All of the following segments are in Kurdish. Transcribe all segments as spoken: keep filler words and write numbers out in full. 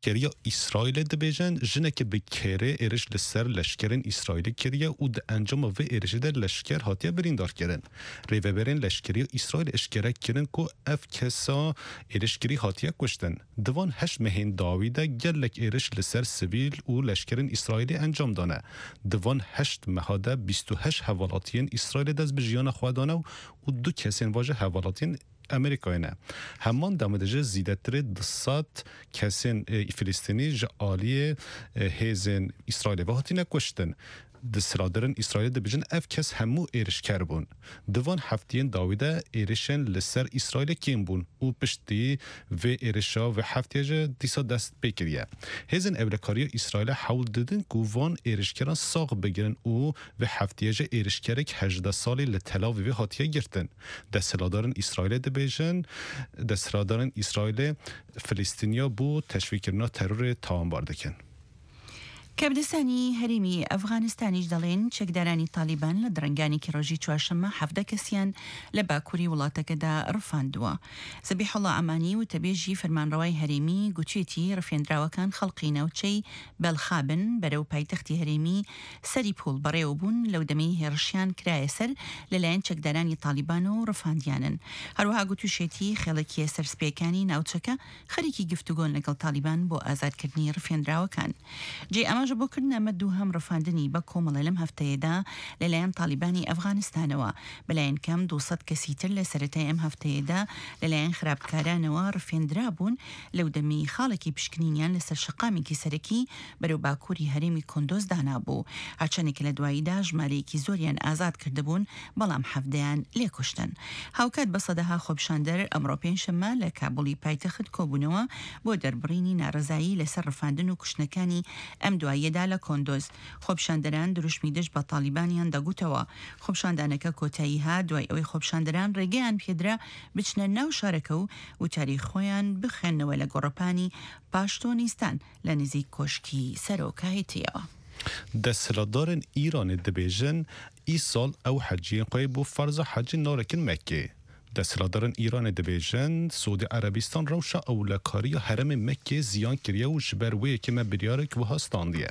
Leşkeriya Îsraîlê dibêjin, jineke bi kêrê êriş li ser leşkerên Îsraîlê kiriye û di encama vê êrişê de leşker hatiye birîndarkirin. Rêveberên leşkeriya Îsraîlê eşkere kirin ku ev kesa êrişkirî hatiye kuştin. Di van heşt mehên dawî de gelek êriş li ser sivîl û leşkerên Îsraîlê encam dane. Di van heşt meha de bîst û heşt hevalatiyên Îsraîlê dest bi jiyana xwe dane û du kesên va jî hevalatiyên Amerîkayê ne. Heman demê de jî zêdetirê du sed kesên, e, Filistînî ji aliyê, e, hêzên Îsraîlê ve hatine kuştin. Desthilatdarên Îsraîlê dibêjin ev kes hemû êrişker bûn. Di van heftiyên dawî de êrişên li ser Îsraîlê kêm bûn û piştî vê êrişa vê heftiyê jî dîsa dest pê kiriye. Hêzên ewlekariya Îsraîlê hewl didin ku van êrişkeran sax bigirin û vê heftiyê jî êrişkerek hejdeh salî li Tel Avîvê hatiye girtin. Desthilatdarên Îsraîlê dibêjin, desthilatdarên Îsraîlê Filistîniya bo teşvîqkirina terorê tawanbar dikin. کەبدەسانی هەرێمی ئەفغانستانیش دەڵێن چەکدارانی تالیبان لە درەنگانێکی ڕۆژی چوارشەممە حەڤدە کەسیان لە باکووری وڵاتەکەدا ڕفاندووە. زەبیحوڵا ئەمانی، وتەبێژی فەرمانڕەوای هەرێمی، گوتوێتی ڕفێندراوەکان خەڵقی ناوچەی بەلخابن بەرەو پایتەختی هەرێمی سەری پوڵ بەڕێوە بوون، لەو دەمەی هێڕشیان کرایە سەر لەلایەن چەکدارانی تالیبان و ڕفاندیانن. هەروەها گوتوشێتی خێڵەکیە سەرسپێکانی ناوچەکە خەریکی گفتوگۆن لەگەڵ تالیبان بۆ ئازادکردنی ڕفێندراوەکان. جێ ئاماژە بۆ کردن ئەمە دووهەم ڕفاندنی بە کۆمەڵە لەم هەفتەیەدا لەلایەن تالیبانی ئەفغانستانەوە. بەلایەن کەم دوو سەد کەسی تر لە سەرەتای ئەم هەفتەیەدا لەلایەن خراپکارانەوە ڕفێندرا بوون، لەو دەمەی خاڵێکی پشکنینیان لەسەر شەقامێکی سەرەکی بەرەو باکووری هەرێمی کۆندۆز دانابوو. هەرچەندێک لە دواییدا ژمارەیەکی زۆریان ئازاد کردبوون، بەڵام حەڤدەیان لێکوشتن. هاوکات بە سەدەها خۆپیشاندەر ئەمڕۆ پێنجشەممە لە کابوڵی پایتەخت کۆبوونەوە بۆ دەربڕینی ناڕەزایی لەسەر ڕفاندن و کوشتنەکانی ئەم دواییەدا لە کۆندۆز. خۆپیشاندەران دروشمی دژ بە تالیبانیان دەگوتەوە. خۆپیشاندانەکە کۆتایی هات دوای ئەوەی خۆپیشاندەران ڕێگەیان پێدرا بچنە ناو شارەکە و وتاری خۆیان بخوێننەوە لە گۆڕەپانی پاشتۆنیستان لە نزیک کۆشکی سەرۆکایەتیەوە. Desthilatdarên Îranê dibêjin, îsal ew heciyên xwe yê bo ferza hecî narekin Mekkê. Desthilatdarên Îranê dibêjin, Siûdî Erebistan rewşa ewlekariya herêmê Mekkê ziyan kiriye û ji ber wê yekê me biryarek wiha standiye.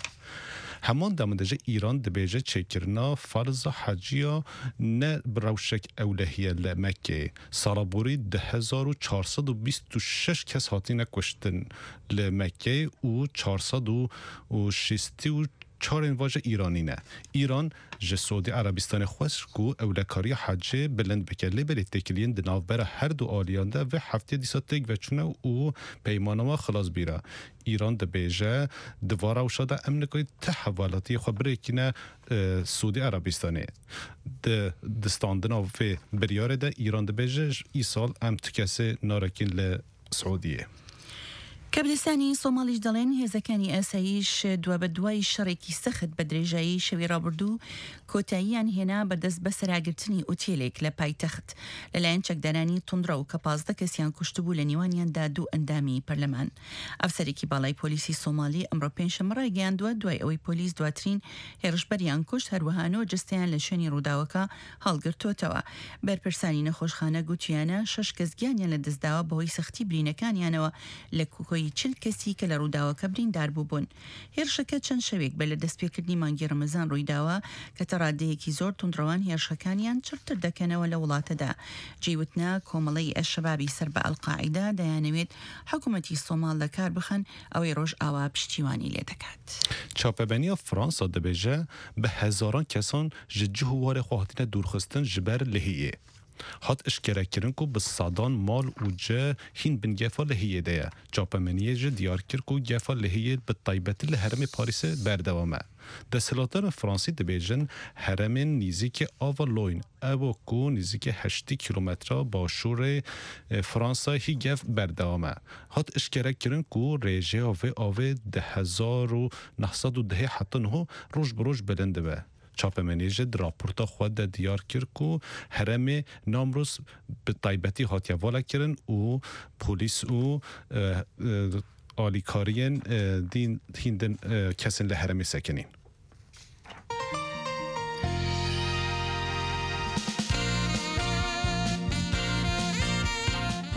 Heman demê de jî Îran dibêje çêkirina ferza heciya ne bi rewşek ewlehî ye li Mekkê. Sala borî du hezar û çar sed û bîst û şeş kes hatine kuştin li Mekkê û çar sed û şêst û çar ên va jî Îranî ne. Îran ji Siûdî Erebistanê xwest ku ewlekariya hecê bilind bike, lê belê têkiliyên di navbera her du aliyan de vê heftê dîsa têk veçûne û peymana wan xilas bîra. Îran dibêje, di va rewşa de em nikarî ti hevalatiyê xwe birêkîne, e, Siûdî Erebistanê. Di, di standina vê biryarê de Îran dibêje, îsal em tu kesê narekîn li Siûdiyê. کەبدەسانی سۆماڵیش دەڵێن هێزەکانی ئاسایش دوا بە دوای شەڕێکی سەخت بە درێژایی شەوی ڕابردوو کۆتاییان هێنا بە دەست بە سەراگرتنی ئوتێلێک لە پایتەخت لەلایەن چەکدارانی توندڕەو کە پازدە کەسیان کوشتبوو، لە نێوانیاندا دوو ئەندامی پەرلەمان. ئەفسەرێکی باڵای پۆلیسی سۆمالی ئەمڕۆ پێنجشەممە ڕایگەیاندووە، دوای ئەوەی پۆلیس دواترین هێرشبەریان کوشت، هەروەها نۆ جستەیان لە شوێنی ڕووداوەکە هەڵگرتووەتەوە. بەرپرسانی نەخۆشخانە گوتیانە شەش کەس گیانیان لە دەستداوە بەهۆی سەختی برینەکانیانەوە لە کۆی چل کەسی کە لە ڕووداوەکە بریندار بووبوون. هێرشەکە چەند شەوێک بەر لە دەستپێکردنی مانگی ڕەمەزان ڕوویداوە کە تا ڕادەیەکی زۆر توندڕەوان هێرشەکانیان چڕتر دەکەنەوە لە وڵاتەدا. جێی وتنە کۆمەڵەی ئەلشەبابی سەر بە ئەلقاعیدا دەیانەوێت حکوومەتی سۆماڵ لە کار بخەن، ئەوەی ڕۆژئاوا پشتیوانی لێ دەکات. Çapemeniya Fransa dibêje, bi hezaran kesan ji cih û warê xwe hatine dûrxistin ji ber lihiyê. Hat eşkerekirin ku bi sedan mal û cih hîn bin gefa lihiyê de ye. Çapemeniyê jî diyar kir ku gefa lihiyê bi taybetî li herêmê Parîsê berdewam e. Desthilatdarên Fransî dibêjin, herêmên nîzîkî ava Loyn, ew ku nîzîkî heştê kîlometre başûrê, e, Fransa hî gev berdewam e. Hat eşkerekirin ku rêjeya vê avê di hezar û neh sed û dehê heta niho roj bi roj bilind dibe. Çapemenê jî di raporta xwe de diyar kir ku herêmê Namrûs bi taybetî hatiye vala kirin û polîs û, e, e, alîkariyên, e, din, hîn din, e, kesên li herêmê sekinîn.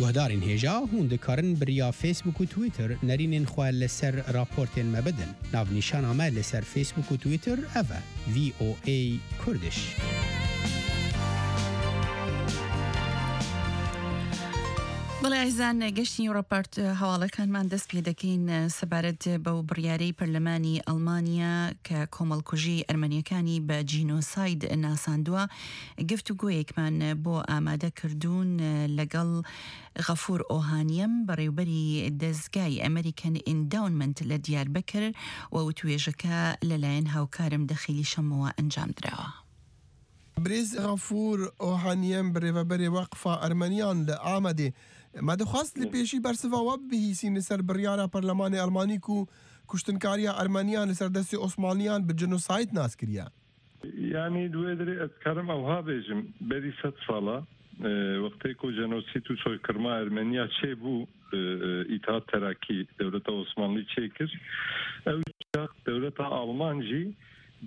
Guhdarên hêja, hûn dikarin bi riya Facebook û Twitter nerînên xwe li ser raportên me bidin. Navnîşana me li ser Facebook û Twitter ev e, V O A Kurdish. بەڵێ ئەزان گەشتنی ڕپارت هەواڵەکانمان دەست پێ دەکەین سەبارەت بەو بڕیارەی پەرلەمانی ئەڵمانیا کە کۆمەڵکوژی ئەرمەنیەکانی بە جینۆساید ناساندووە. گفتوگۆیەکمان بۆ ئامادە کردوون لەگەڵ غەفور ئۆهانیەم، بەڕێوبەری دەستگای ئەمریکەن ئینداونمنت لە دیاربەکر، و وتوێژەکە لەلایەن هاوکارم دەخیلی شەمەوە ئەنجام دراوە. Birêz Xafûr Ohaniyem, birêveberê Weqfa Ermeniyan li Amedê, me dixwest li pêşî bersiva we bibihîsîn li ser biryara Perlemanê Elmanî ku kuştinkariya Ermeniyan li ser destê Osmanliyan bi jenosayd nas kiriye. Yanî, di wê dirê ez dikarim ew ha bêjim, berî sed sala, e, wextê ku jenosîd û soykirma Ermeniya çêbû, e, e, Îtihat Terakî, dewleta Osmanlî çêkir. Ew çax dewleta Alman jî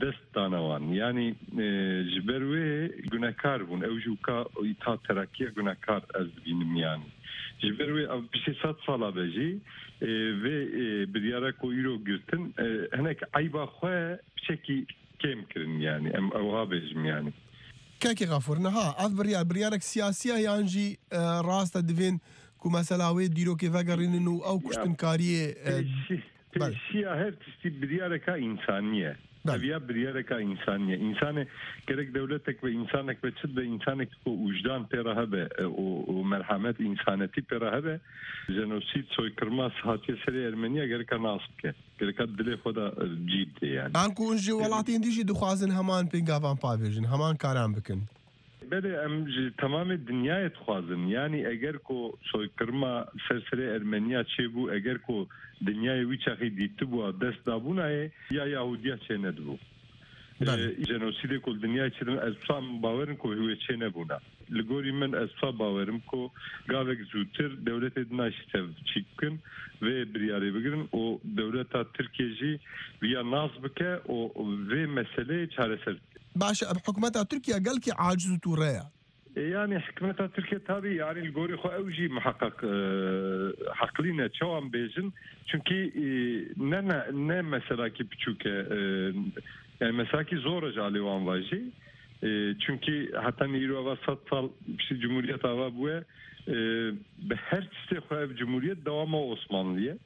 dest dane wan. Yanî, e, ji ber wê gunekar bûn. Ew jî weka Îtihat Terakî ye gunekar ez dibînim yanî. Ji ber wê ev piştî sed sala be jî, e, vê, e, biryara ku îro girtin, e, hinek eyba xwe piçekî kêm kirin yanî. Em ew ha bêjim yanî. Kekê Xafûr, niha ev biryar, biryarek siyasî ye yan jî, e, rast e, divên ku mesela wê dîrokê vegerînin û ew Ya, kuştinkariyê, e, pêşî-, Belê. Pêşiya her tiştî biryareka însanî ye. Belê. Ev ya biryareka însanî ye. Însanê gerek dewletek be, însanek be, çi be, însanek ku wijdan pê re hebe, e, û, û merhemet, însanetî pê re hebe, jenosîd, soykirma hatiye serê Ermeniya gereka nas bike. Gereka dilê xwe de, e, cî bide yani. An ku hûn ji welatên dî jî dixwazin heman pêngavan pavêjin, heman karan bikin. Belê, em ji temamê dinyayê dixwazin. Yanî eger ku soykirma ser serê Ermeniya çêbû, eger ku dinyayê wî çaxî dîtibû, dest dabûnayê, ya Yahudiya çênedibû. Belê. E, jenosîdê ku li dinyayê çêdibû, ez tam bawerim ku wê çênebûna. Li gorî min ez tam bawerim ku gavek zûtir dewletê dina jî tev çîk bikin, vê biryarê bigirin û dewleta Tirkiye jî viya nas bike û vê meseleyê çareser bike. Baş e, hikûmeta Tirkiye gelkî aciz û tûre ye. E, yanî hikûmeta Tirkiye tabî, yanî li gorî xwe ew jî miheqeq, e, heqlî ne, çawa em bêjin. Çunkî, e, ne, ne, ne meselakî biçûk e, e, yani meselakî zor e ji alê wan ve jî. E, çunkî heta îro ava sed sal piştî cumhuriyet ava bûye, e, bi her tiştê xwe ev cumhuriyet dewama Osmanlî ye.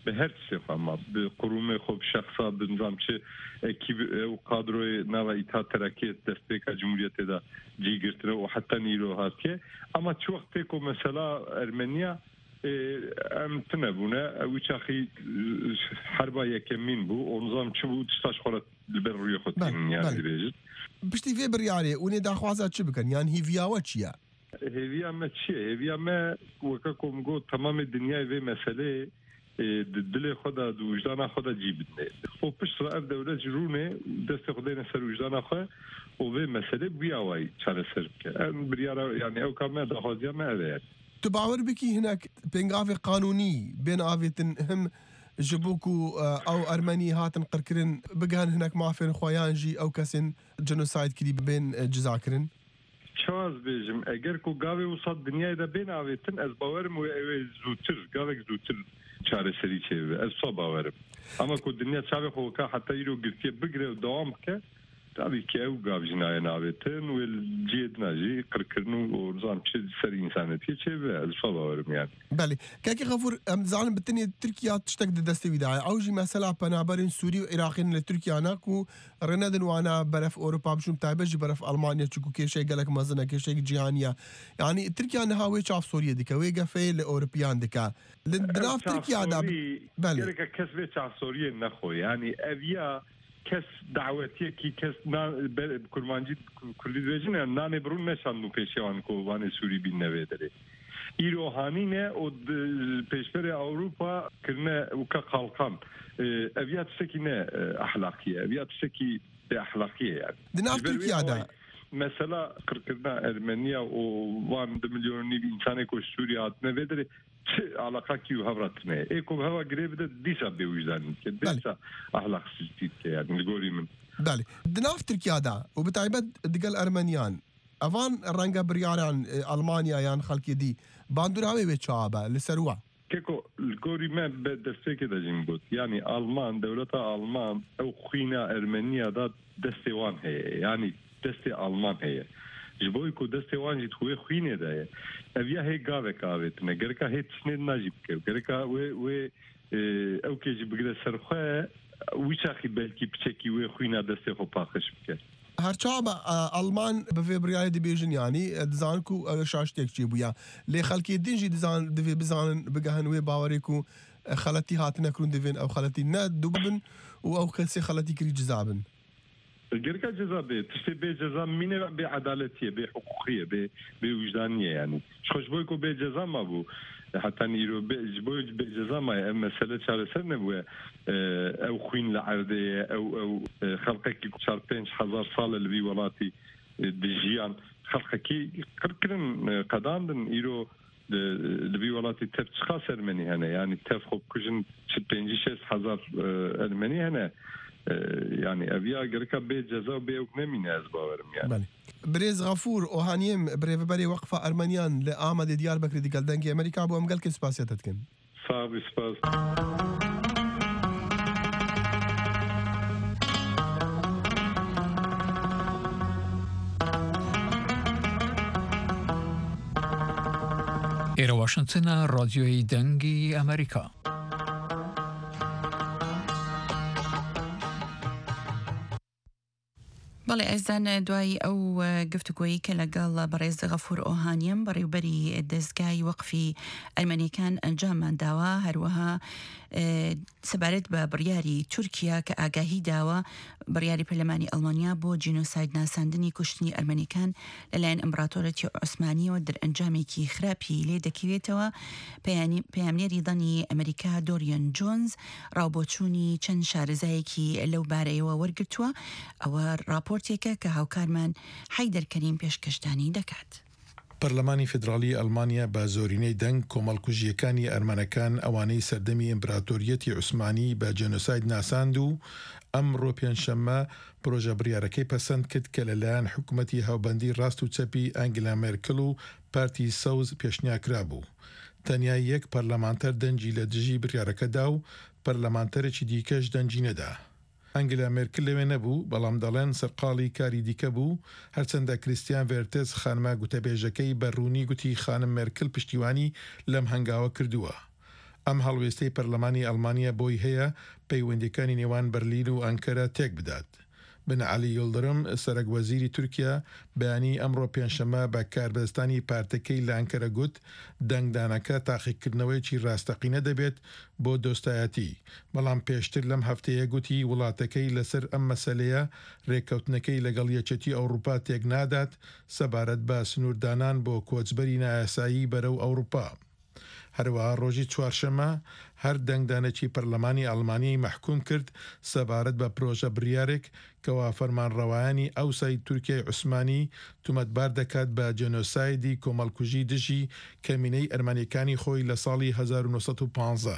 Bi her tiştê xwe ma, bi qurûmê xwe, bi şexsa, bi nizam çi ekîb, ew kadroyê nava Îtihat Terakî destpêka Cumhuriyetê de cî girtine û heta nîro hatiye. Ama çi wextê ku mesela Ermeniya, e, em tune bûne, ew çaxî, e, herba yekemîn bû, û nizam çi bû, tişta ji xwe re li ber rûyê xwe Belê, tînin, yani belê. Dibêjin. Piştî vê biryarê, hûn ê daxwaza çi bikin? Yan hîviya we çi ye? Hêviya me çi ye? Hêviya me, weke ku min got, temamê dinyayê vê meseleyê, e, di dilê xwe de, di wijdana xwe de cî bidine. Û pişt re ev dewlet ji rûnê destê xwe dêne ser wijdana xwe û vê meselê bi wî awayî çareser bike. Em biryara, yani ew ka me, daxwaziya me ev e yani. Tu bawer bikî hinek pêngavê qanûnî bên avêtin him ji bo ku, e, ew Ermenî hatin qirkirin bigihin hinek mafên xwe yan jî ew kesên jenosayd kirî bên, e, cizakirin? Çawa ez bêjim, eger ku gavê wisa dinyayê de bên avêtin, ez bawerim wê ew ê zûtir, gavek zûtir çareserî çêbibe. Ez wisa bawerim. Ama ku dinya çavê xwe weka heta îro girtiye bigire û dewam bike, tabî ki ew gav jî nayên avêtin, wê li cihê din a jî qirkirin û, û nizam çi ser însanetiyê çêbibe. Ez wisa bawerim yani. Belê. Kekê Xefûr, em dizanin bi tenê Tirkiya tiştek di destê wî de ye. Ew jî mesela penaberên Sûrî û Iraqî ne li Tirkiya ne ku rê nedin wana beref Ewropa biçûn, taybet jî beref Almanya, çiku kêşeyek gelek mezin e, kêşeyek cîhanî ye. Yanî Tirkiya niha wê çavsoriyê dike, wê gefê li Ewropiyan dike. Li, di Ev nav Tirkiya de çavsorî, belê. Gereke kes vê çavsoriyê nexwe. Yanî ev ya kes dawetiyekî, kes na-, be-, kurmancî, ku-, kurdî dibêjin, yani nanê birûn neşandû pêşiya wan ku vanê Sûrî bînne vê derê. Îro hanîne û di pêşberê Ewropa kirine weke qalqan. E, ev ya tiştekî ne, e, ehlaqî ye. Ev ya tiştekî bêehlaqî ye yani. Di nav Ji ber wê Tirkiya de. Awayî, mesela qirkirina Ermeniya û van du milyon û nîv însanê ku ji Sûriye hatine vê derê çi alaqakî û hev re tune ye. Ê ku bi heva girê bide dîsa bêwijdanî dike, Belê. Dîsa ehlaqsiztî dike yani li gorî min. Belê. Di nav Tirkiya de û bi taybet digel Ermeniyan, evan renge biryaran, e, Almanya yan xelkê dî Bandora wê wê çawa be li ser we? Keko, li gorî me bi destpêkê de jî min got. Yanî Alman, dewleta Alman ew xwîna Ermeniya da destê wan heye. Yanî destê Alman heye. Ji bo ku destê wan jî di wê xwînê de ye. Ev ya hê gavek avêtine. Gereka hê tiştê din jî bike. Gereka wê, wê, e, ew kê jî bigire ser xwe, wî çaxî belkî piçekî wê xwîna destê xwe paqij bike. Her çawa be, e, Alman bi vê biryarê dibêjin, yanî, e, dizanin ku ew şaştiyek çêbûye. Lê xelkê din jî dizan-, divê bizanin, bigehin wê bawerê ku, e, xeletî hatine kirin, divên ew xeletî ne dubin û ew kesê xeletî kirî ciza bin. Gereka ceza bê, tiştê bê ceza mîne bê edaletî ye, bê hiqûqî ye, bê, bê wijdanî ye yanî. Ji xwe ji bo ku bê ceza mabû, heta îro bê, ji bo bê ceza maye, ev mesele çareser nebûye. E, ew xwîn li erdê ye, ew, ew, e, xelqekî ku çar pênc hezar sal e li vî welatî, e, dijiyan. Xelqekî qirkirin, e, qedandin, îro li, li vî welatî tev çiqas Ermenî hene, yanî tev xwe bikujin çi pêncî şêst hezar, e, Ermenî hene. E, yanî ev ya gereka bê ceza û bê ewk nemîne, ez bawerim yani. Belê. Birêz Xafûr Ohaniyêm, birêveberê Weqfa Ermeniyan li Amedê Diyarbekirê digel Dengê Amerîka bû, em gelkê spasiya te dikin. Sağ ol, spas. ئێرە واشنگتنە، ڕادیۆی دەنگی ئەمریکا. بەڵێ، ئێزان، دوای ئەو، ئە، گفتوگۆیی کە لەگەڵ بەڕێز غەفور ئۆهانیەم، بەڕێوبەری دەستگای وەقفی ئەرمەنیەکان ئەنجاممان داوە، هەروەها، ئە، سەبارەت بە بڕیاری تورکیا کە ئاگاهی داوە، بڕیاری پەرلەمانی ئەڵمانیا بۆ جینۆساید ناساندنی کوشتنی ئەرمەنیەکان لەلایەن ئیمپراتۆرەتی عوسمانیەوە دەرئەنجامێکی خراپی لێ دەکەوێتەوە. پەیانی-، پەیامنێری دەنی ئەمریکا دۆریان جۆنز ڕاوبۆچوونی چەند شارەزایەکی لەو بارەیەوە وەرگرتووە. ئەوە راپۆرتێکە کە هاوکارمان حەیدەر کەریم پێشکەشدانی دەکات. پەرلەمانی فیدراڵی ئەڵمانیا بە زۆرینەی دەنگ کۆمەڵکوژییەکانی ئەرمەنەکان، ئەوانەی سەردەمی ئیمپراتۆریەتی عوسمانی بە جێنۆساید ناساند و ئەمڕۆ پێنجشەممە پرۆژە بڕیارەکەی پەسەند کرد کە لەلایەن حکوومەتی هاوبەندی ڕاست و چەپی ئەنگلا مێرکل و پارتی سەوز پێشنیار کرابوو. تەنیا یەک پەرلەمانتەر دەنگی لە دژی بڕیارەکە دا و پەرلەمانتەرێکی دیکەش دەنگی نەدا. ئەنگلا مێرکل لەوێ نەبوو، بەڵام دەڵێن سەرقاڵی کاری دیکە بوو، هەرچەندە کریستیان ڤێرتز، خانمە گوتەبێژەکەی، بە ڕوونی گوتی خانم مێرکل پشتیوانی لەم هەنگاوە کردووە. ئەم هەڵوێستەی پەرلەمانی ئەڵمانیا بۆی هەیە پەیوەندیەکانی نێوان بەرلین و ئەنکەرە تێک بدات. بن عەلی یڵدرم، سەرەک وەزیری تورکیا، بەیانی ئەمڕۆ پێنجشەممە بە کاربەدەستانی پارتەکەی لە ئەنکەرە گوت، دەنگدانەکە تاقیکردنەوەیەکی ڕاستەقینە دەبێت بۆ دۆستایەتی، بەڵام پێشتر لەم هەفتەیە گوتی وڵاتەکەی لەسەر ئەم مەسەلەیە ڕێککەوتنەکەی لەگەڵ یەکێتی ئەوروپا تێک نادات سەبارەت بە سنووردانان بۆ کۆچبەری نایاسایی بەرەو ئەوروپا. هەروەها ڕۆژی چوارشەممە هەر دەنگدانێکی پەرلەمانی ئەڵمانیای مەحکوم کرد سەبارەت بە پرۆژە بڕیارێک کەوا فەرمانڕەوایانی ئەوسای تورکیای عوسمانی تومەتبار دەکات بە جێنۆسایدی کۆمەڵکوژی دژی کەمینەی ئەرمەنیەکانی خۆی لە ساڵی هەزار و نۆ سەد و پازدە.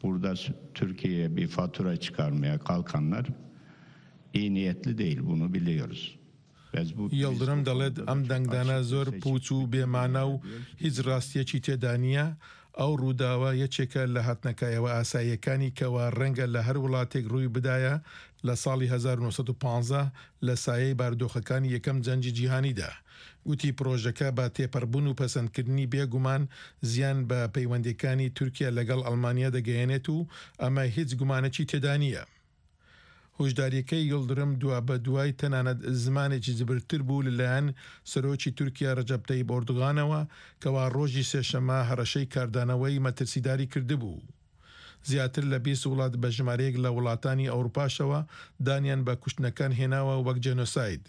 Burada Türkiye'ye bir fatura çıkarmaya kalkanlar iyi niyetli değil, bunu biliyoruz. Yıldırım دەڵێت ئەم دەنگدانە زۆر پوچ و بێمانە و هیچ ڕاستیەکی تێدا نییە. ئەو ڕووداوە یەکێکە لە هاتنەکایەوە ئاساییەکانی کەوا ڕەنگە لە هەر وڵاتێک ڕووی بدایە لە ساڵی هەزار و نۆ سەد و پازدە لە سایەی بارودۆخەکانی یەکەم جەنگی جیهانیدا. گوتی پرۆژەکە بە تێپەڕبوون و پەسەندکردنی بێگومان زیان بە پەیوەندیەکانی تورکیا لەگەڵ ئەڵمانیا دەگەیەنێت و ئەمە هیچ گومانێکی تێدا نییە. هۆشداریەکەی یڵدرم دوا بە دوای تەنانەت زمانێکی جبرتر بوو لەلایەن سەرۆکی تورکیا ڕەجەب تەیب ئۆردوغانەوە کەوا ڕۆژی سێشەممە هەڕەشەی کاردانەوەی مەترسیداری کردبوو. زیاتر لە بیست وڵات بە ژمارەیەک لە وڵاتانی ئەوروپاشەوە دانیان بە کوشتنەکان هێناوە وەک جێنۆساید.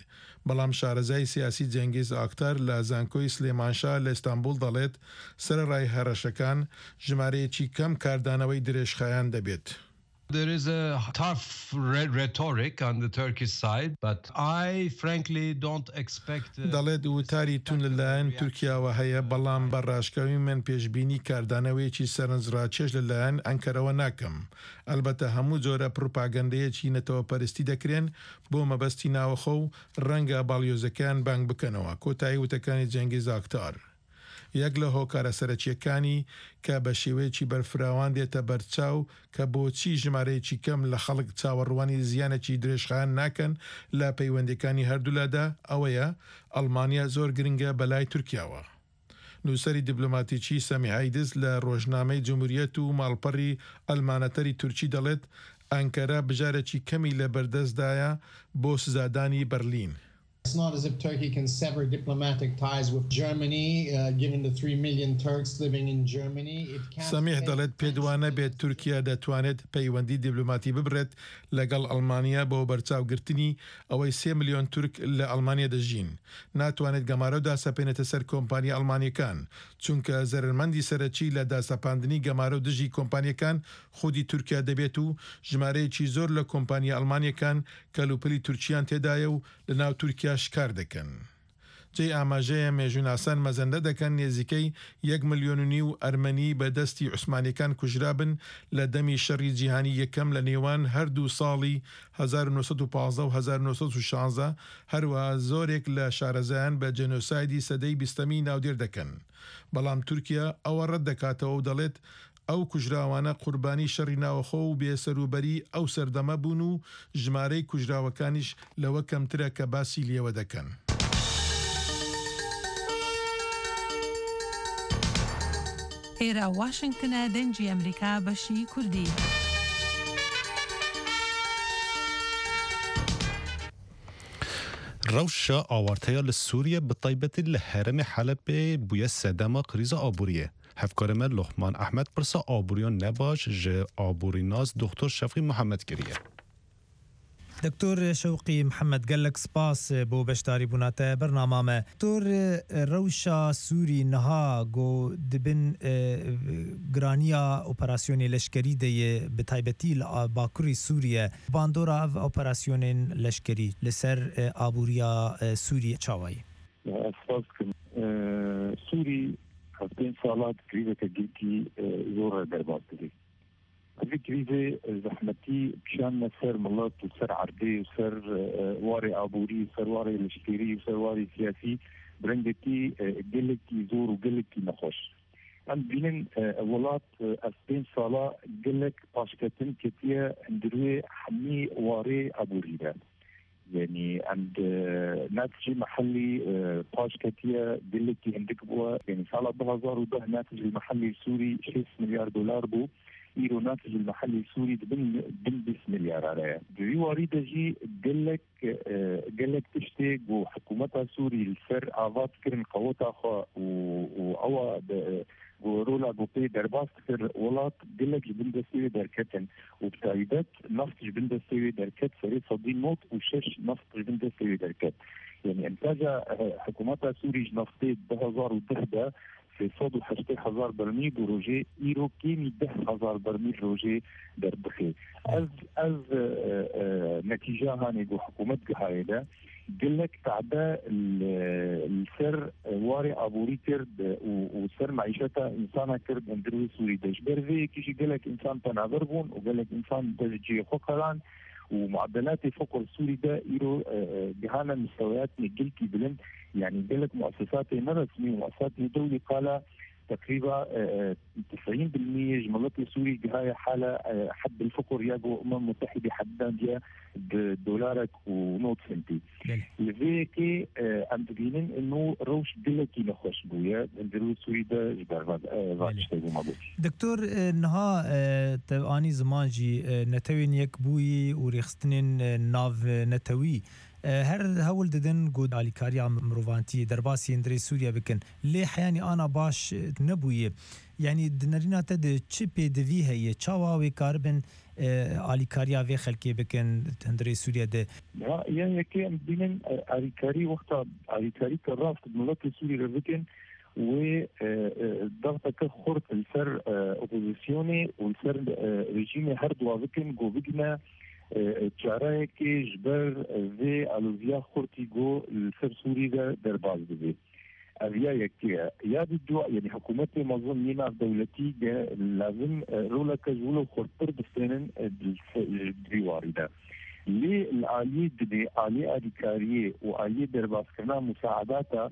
بەڵام شارەزای سیاسی جەنگیز ئاکتار لە زانکۆی سلێمانشا لە ئیستانبول دەڵێت سەرەڕای هەڕەشەکان ژمارەیەکی کەم کاردانەوەی درێژخایەن دەبێت. There is a tough re-, rhetoric on the Turkish side, but I frankly don't expect, uh, دەڵێت وتاری توند لەلایەن تورکیاوە هەیە، بەڵام بە ڕاشکاوی من پێشبینی کاردانەوەیەکی سەرنجڕاکێش لەلایەن ئەنکەرەوە ناکەم. ئەلبەتە هەموو جۆرە پروپاگەندەیەکی نەتەوەپەرستی دەکرێن بۆ مەبەستی ناوەخۆ و ڕەنگە باڵیۆزەکەیان بانگ بکەنەوە. کۆتایی وتەکانی جەنگیز ئاکتار. یەک لە هۆکارە سەرەکییەکانی کە بە شێوەیەکی بەرفراوان دێتە بەرچاو کە بۆچی ژمارەیەکی کەم لە خەڵک چاوەڕوانی زیانێکی درێژخایەن ناکەن لە پەیوەندییەکانی هەردوولادا، ئەوەیە ئەڵمانیا زۆر گرنگە بەلای تورکیاوە. نووسەری دیبلۆماتیکی سەمیح ئەیدز لە ڕۆژنامەی جمهوریەت و ماڵپەڕی ئەلمانەتەری تورکی دەڵێت، ئەنکەرە بژارێکی کەمی لە بەردەستدایە بۆ سزادانی بەرلین. It's not as if Turkey can sever diplomatic ties with Germany, uh, given the three million Turks living in Germany. It can't سەمیح دەڵێت، پێت وانە بێت تورکیا دەتوانێت پەیوەندی دیبلۆماتی ببڕێت لەگەڵ ئەڵمانیا بۆ بەرچاوگرتنی ئەوەی سێ ملیۆن تورک لە ئەڵمانیا دەژین. ناتوانێت گەمارۆ داسەپێنێتە سەر کۆمپانیا ئەڵمانییەکان، چونکە زەرەرمەندی سەرەکی لە داسەپاندنی گەمارۆ دژی کۆمپانییەکان خودی تورکیا دەبێت و ژمارەیەکی زۆر لە کۆمپانیا ئەڵمانییەکان کەلوپەلی تورکییان تێدایە و لەناو تورکیاش کار دەکەن. جێی ئاماژەیە، مێژووناسان مەزەندە دەکەن نێزیکەی یەک ملیۆن و نیو ئەرمەنی بە دەستی عوسمانییەکان کوژرابن لە دەمی شەڕی جیهانیی یەکەم لە نێوان هەردوو ساڵی هەزار و نۆ سەد و پازدە و هەزار و نۆ سەد و شازدە، هەروەها زۆرێک لە شارەزایان بە جێنۆسایدی سەدەی بیستەمی ناودێر دەکەن. بەڵام تورکیا ئەوە ڕەت دەکاتەوە و دەڵێت، ئەو کوژراوانە قوربانی شەڕی ناوەخۆ و بێسەروبەری ئەو سەردەمە بوون و ژمارەی کوژراوەکانیش لەوە کەمترە کە باسی لێوە دەکەن. ئێرە واشنگتنە، دەنگی ئەمریکا، بەشی کوردی. Rewşa awarteya li Sûriyê, bi taybetî li herêmê Helebê, bûye sedema krîza aboriyê. Hevkarê me Luqman Ehmed pirsa aboriyan nebaş ji aborînas Doktor Şewqî Mihemed kiriye. Doktor Şewqî Mihemed, gelek spas bo beşdarîbûna te bernama me. Doktor, rewşa Sûrî niha ku di bin, e, giraniya operasyonê leşkerî de ye, bi taybetî li a-, bakurê Sûriye, bandora ev operasyonên leşkerî li ser, e, aboriya, e, Sûriyê çawa ye? Ez spas dikim. E, Sûrî hevdeh sala di krîzeke girkî, e, zor re derbas dibe. Vî krîzê zehmetî kişandine ser milet û ser erdê û ser, e, warê aborî û ser warê leşkerî û ser warê siyasî bi rengekî, e, gelekî zor û gelekî nexweş. Em dibînin, e, welat, e, ev pênc sala gelek paşketin ketiye hundir wê hemî warê aborî de. Yanî em di netijê mehellî, e, paş ketiye, gelekî hindik bûye. Yanî sala du hezar û deh netijê mehellî Sûrî şêst milyar dolar bû. Îro netijê mehellî Sûrî di bin, bin bîst milyara re ye. Di vî warî de jî gelek, e, gelek tiştê ku hikûmeta Sûrî li ser ava dikirin qeweta xwe û, û ewa de, ku rola ku pê derbas dikir welat gelek ji bin destê wê derketin û bi taybet neft ji bin destê wê derket, serê sedî nod û şeş neft ji bin destê wê derket. Yanî întaja, eh, hikûmeta Sûrî ji neftê du hezar û deh de sê sed û heştê hezar bermîl bi rojê, îro kêmî deh hezar bermîl rojê derdixe. Ev, ev, eh, eh, netîja hanê ku hikûmet gihaye de, gelek tade li, li ser warê aborî kir û, û ser meîşeta însana kir di hundir wê Sûrî de. Ji ber vê yekê jî gelek însan penaber bûn û gelek însan dest ji cihê xwe qelan û muedelatê feqr Sûrî de îro, e, e, gihane misteweyatê gelkî bilind. Yanî gelek muesesatê neresmî û muesesatê dewlî qala teqrîba, e, e, tisîn bil miyê ji miletê Sûrî gihaye hala, e, heddil fiqr ya ku Umem Mutehîdê heddandiye bi dolarek û nod sentî. Belê. Li vê yekê, e, em dibînin ino rewş gelekî nexweş bûye, hundir wê Sûrî de ji ber van, e, van Belê. tiştê bû me got. Doktor, e, niha, e, te anî ziman jî, e, Netewên Yekbûyî û rêxistinên, e, nav, e, netewî E, her hewl didin ku alîkariya mirovantiyê derbasî hundirê Sûriye bikin. Lê heyanî ana baş, e, nebûye. Yanî di nerîna te de çi pêdivî heye? Çawa wê karibin, e, alîkariya vê xelkê bikin hundirê Sûriye de? Ya, ya yekê em dibînin, e, alîkarî wexta alîkarî ke rast miletê Sûrî re bikin, wê, e, e, dexteke xurt li ser, e, opozisyonê û li ser, e, rejîmê her duwa bikin, ku bigine, e, çareyekê ji ber, e, vê aloziya xurtî ku li ser Sûrî de derbas dibe. Ev ya yekê ye. Ya di dua, yanî hikûmetê mezin yê navdewletî de lazim, e, roleke ji wilo xurttir bistênin, e, di se-, di vî warî de. Lê li aliyê dinê, aliyê alîkariyê û aliyê derbaskirina musaedata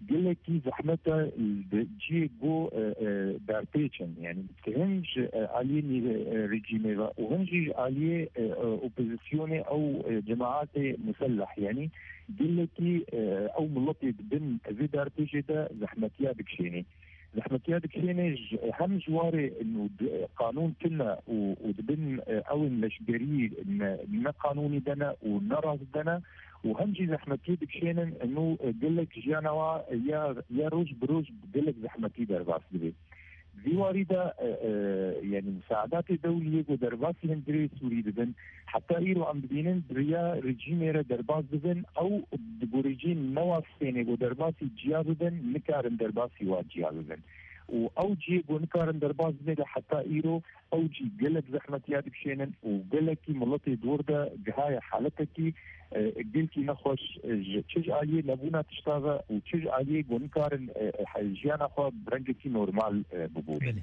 Gelekî zehmet e li cihê ku, e, e, derpêçin. Yani, hin ji, e, aliyê nî-, e, rejîmê ve û hin jî ji aliyê, e, e, opozisyonê ew, e, cemaetê muselleh. Yani, gelekî, e, ew miletê di bin vê derpêçê de zehmetiya dikişênê. Zehmetiya dikişênê ji, hem ji warê û di-, qanûn tune û, û dibin, e, ew in leşgerî ne, ne qanûnî de ne û ne rast de ne û hem jî zehmetiyê dikişênin û, e, gelek jiyana wa ya, ya roj bi roj gelek zehmetî derbas dibe. Vî warî de, e, e, yani misaedatê dewliyê ku derbasî hundirê Sûrî dibin, heta îro em dibînin di riya rejîmê re derbas dibin, ew di gorî cî newa stênê ku derbasî ciya bibin, nikarin derbasî wa ciya bibin. Û ew cihê ku nikarin derbas bibê de heta îro, ew cî gelek zehmetiya dikişênin û gelekî miletê dor de gihaye haletekî, e, gelkî nexweş, e, ji çi ji aliyê nebûna tişta ve û çi ji aliyê ku nikarin, e, e, jiyana xwe bi rengekî normal, e, bibûrînin.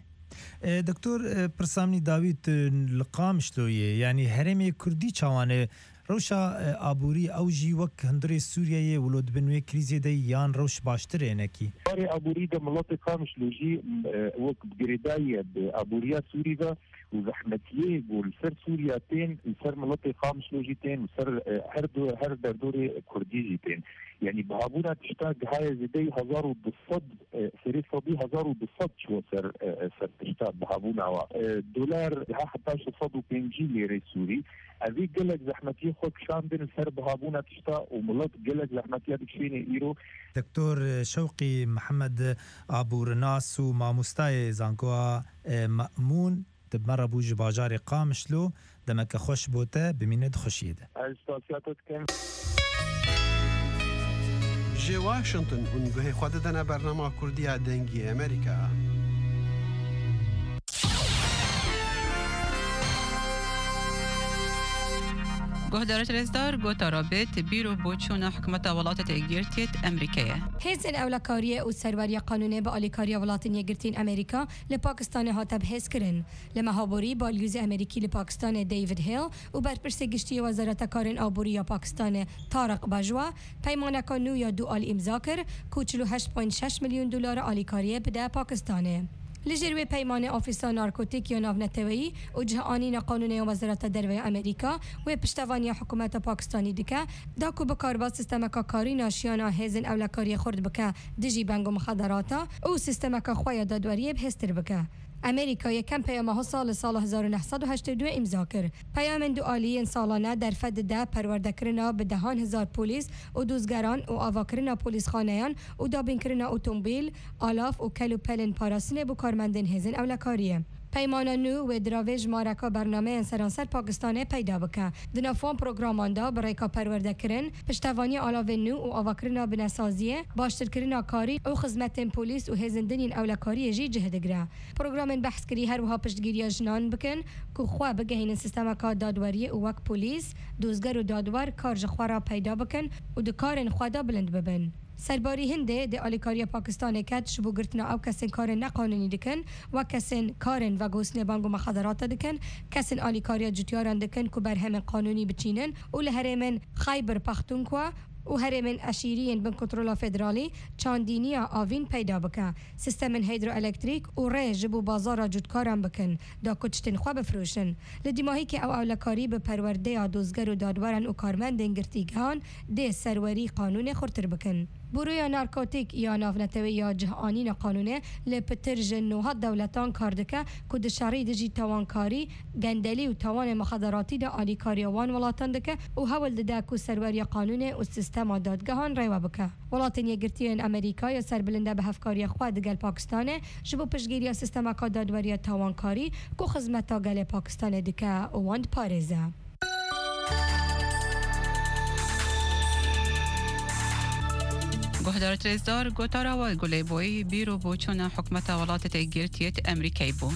Belê. E, Doktor, e, pirsa min î dawî tu li Qamişlo yê, yanî herêmê Kurdî çawan e? Rewşa, e, aborî ew jî wek hundirê Sûriyeyê wilo di bin wê krîzê de yan rewş baştir e hinekî? Barê aborî de miletê Qamişlo jî, e, wek girêdayî ye bi aboriya Sûrî ve û zehmetiyê ku li ser Sûriya tên, li ser miletê Qamişlo jî tên, li ser, e, her du-, her derdorê Kurdî jî tên. Yanî bihabûna tişta gihaye zêdeyî hezar û du sed, e, serê sedî hezar û du sed çûye ser, e, e, ser tişta bihabûna wa. E, dolar giha heta şeş sed û pêncî lêrê Sûrî. Evî gelek zehmetiyê xwe kişandin li ser bihabûna tişta û milet gelek zehmetiya dikişêne îro. Doktor Şewqî Mihemed, aborinas û mamostayê zankoa, e, Me'mûn, di me re bû ji bajarê Qamişlo, demeke xweş bo te, bimîne di xweşiyê de. Ez spasiya te dikim. Ji Washington hûn guhê xwe didene bernama Kurdiya Dengê Amerîka. Guhdarêt rêzdar, gotara bêt bîr û boçûna hikûmeta Welatê Yekgirtiyê Amerîkayê. Hêzên ewlekariyê û serweriya qanûnê bi alîkariya Welatên Yekgirtiyên Amerîka li Pakistanê hate bihêzkirin. Li meha borî, balyozê Amerîkî li Pakistanê David Hale û berpirsê giştî yê Wezareta Karên Aborî ya Pakistanê Tariq Bajwa peymaneka nû ya du alî îmza kir, ku çil û heşt point şeş milyon dolara alîkariyê bide Pakistanê. Li jêr wê peymanê Ofîsa Narkotîk ya Navneteweyî û Cihanîna Qanûnê ya Wezareta Derve ya Amerîka wê piştevaniya hikûmeta Pakistanî dike, da ku bikarba sîstemeka karîna şiyana hêzên ewlekariyê xurt bike dijî beng û mixederata û sîstemeka xwe ya dadweriyê bihêztir bike. Amerîka yekem peyama HOSA li sala hezar û neh sed û heştê û du îmza kir. Peyamên dualî yên salane derfet dide perwerdekirina bi dehan hezar polîs û dozgeran û avakirina polîsxaneyan û dabînkirina otomobîl, alav û kel û pelên parastinê bo karmendên hêzên ewlekariyê. Peymana nû wê diravê jimareka bernameyên seranser Pakistanê peyda bike. Di nav wan programan de bi rêka perwerdekirin, piştevaniya alavên nû û avakirina binesaziyê, baştirkirina karî û xizmetên polîs û hêzên din yên ewlekariyê jî cih digire. Programên behskirî her wiha piştgiriya jinan bikin ku xwe bigehînin sîstemeka dadweriyê û wek polîs, dozger û dadwer kar ji xwe re peyda bikin û di karên xwe de bilind bibin. Serbarî hindê dê alîkariya Pakistanê ket ji bo girtina ew kesên karên neqanûnî dikin, wek kesên karên vegotinê bang û mexaderata dikin, kesên alîkariya cotyaran dikin ku berhemên qanûnî biçînin û li herêmên Xayber Paxtunkwa û herêmên eşîrî yên bin kontrola federalî çandîniya avîn peyda bike, sîstemên hîdroelektrîk û rê ji bo bazara cotkaran bikin, da ku tiştên xwe bifroşin. Li dîmahîkê ew ewlekarî bi perwerdeya dozger û dadweran û karmendên girtîgehan dê serwerî qanûnê xurtir bikin. Buroya Narkotîk ya Navneteweyî ya Cihanîna Qanûnê li pitir ji nod dewletan kar dike ku di şerî dijî tawankarî, gendelî û tawanên mixaderatî de alîkariya wan welatan dike û hewl dide ku serweriya qanûnê û sîstema dadgehan rêwe bike. Welatên Yekgirtiyên Amerîka ya serbilind e bi hevkariya xwe digel Pakistanê ji bo piştgiriya sîstemeka dadweriya tawankarî ku xizmeta gelê Pakistanê dike û wan diparêze. Guhdarêt rêzdar, gotara we guh lê bûyî bîr û boçûna hikûmeta Welatê Yekgirtiyê Amerîkayê bû.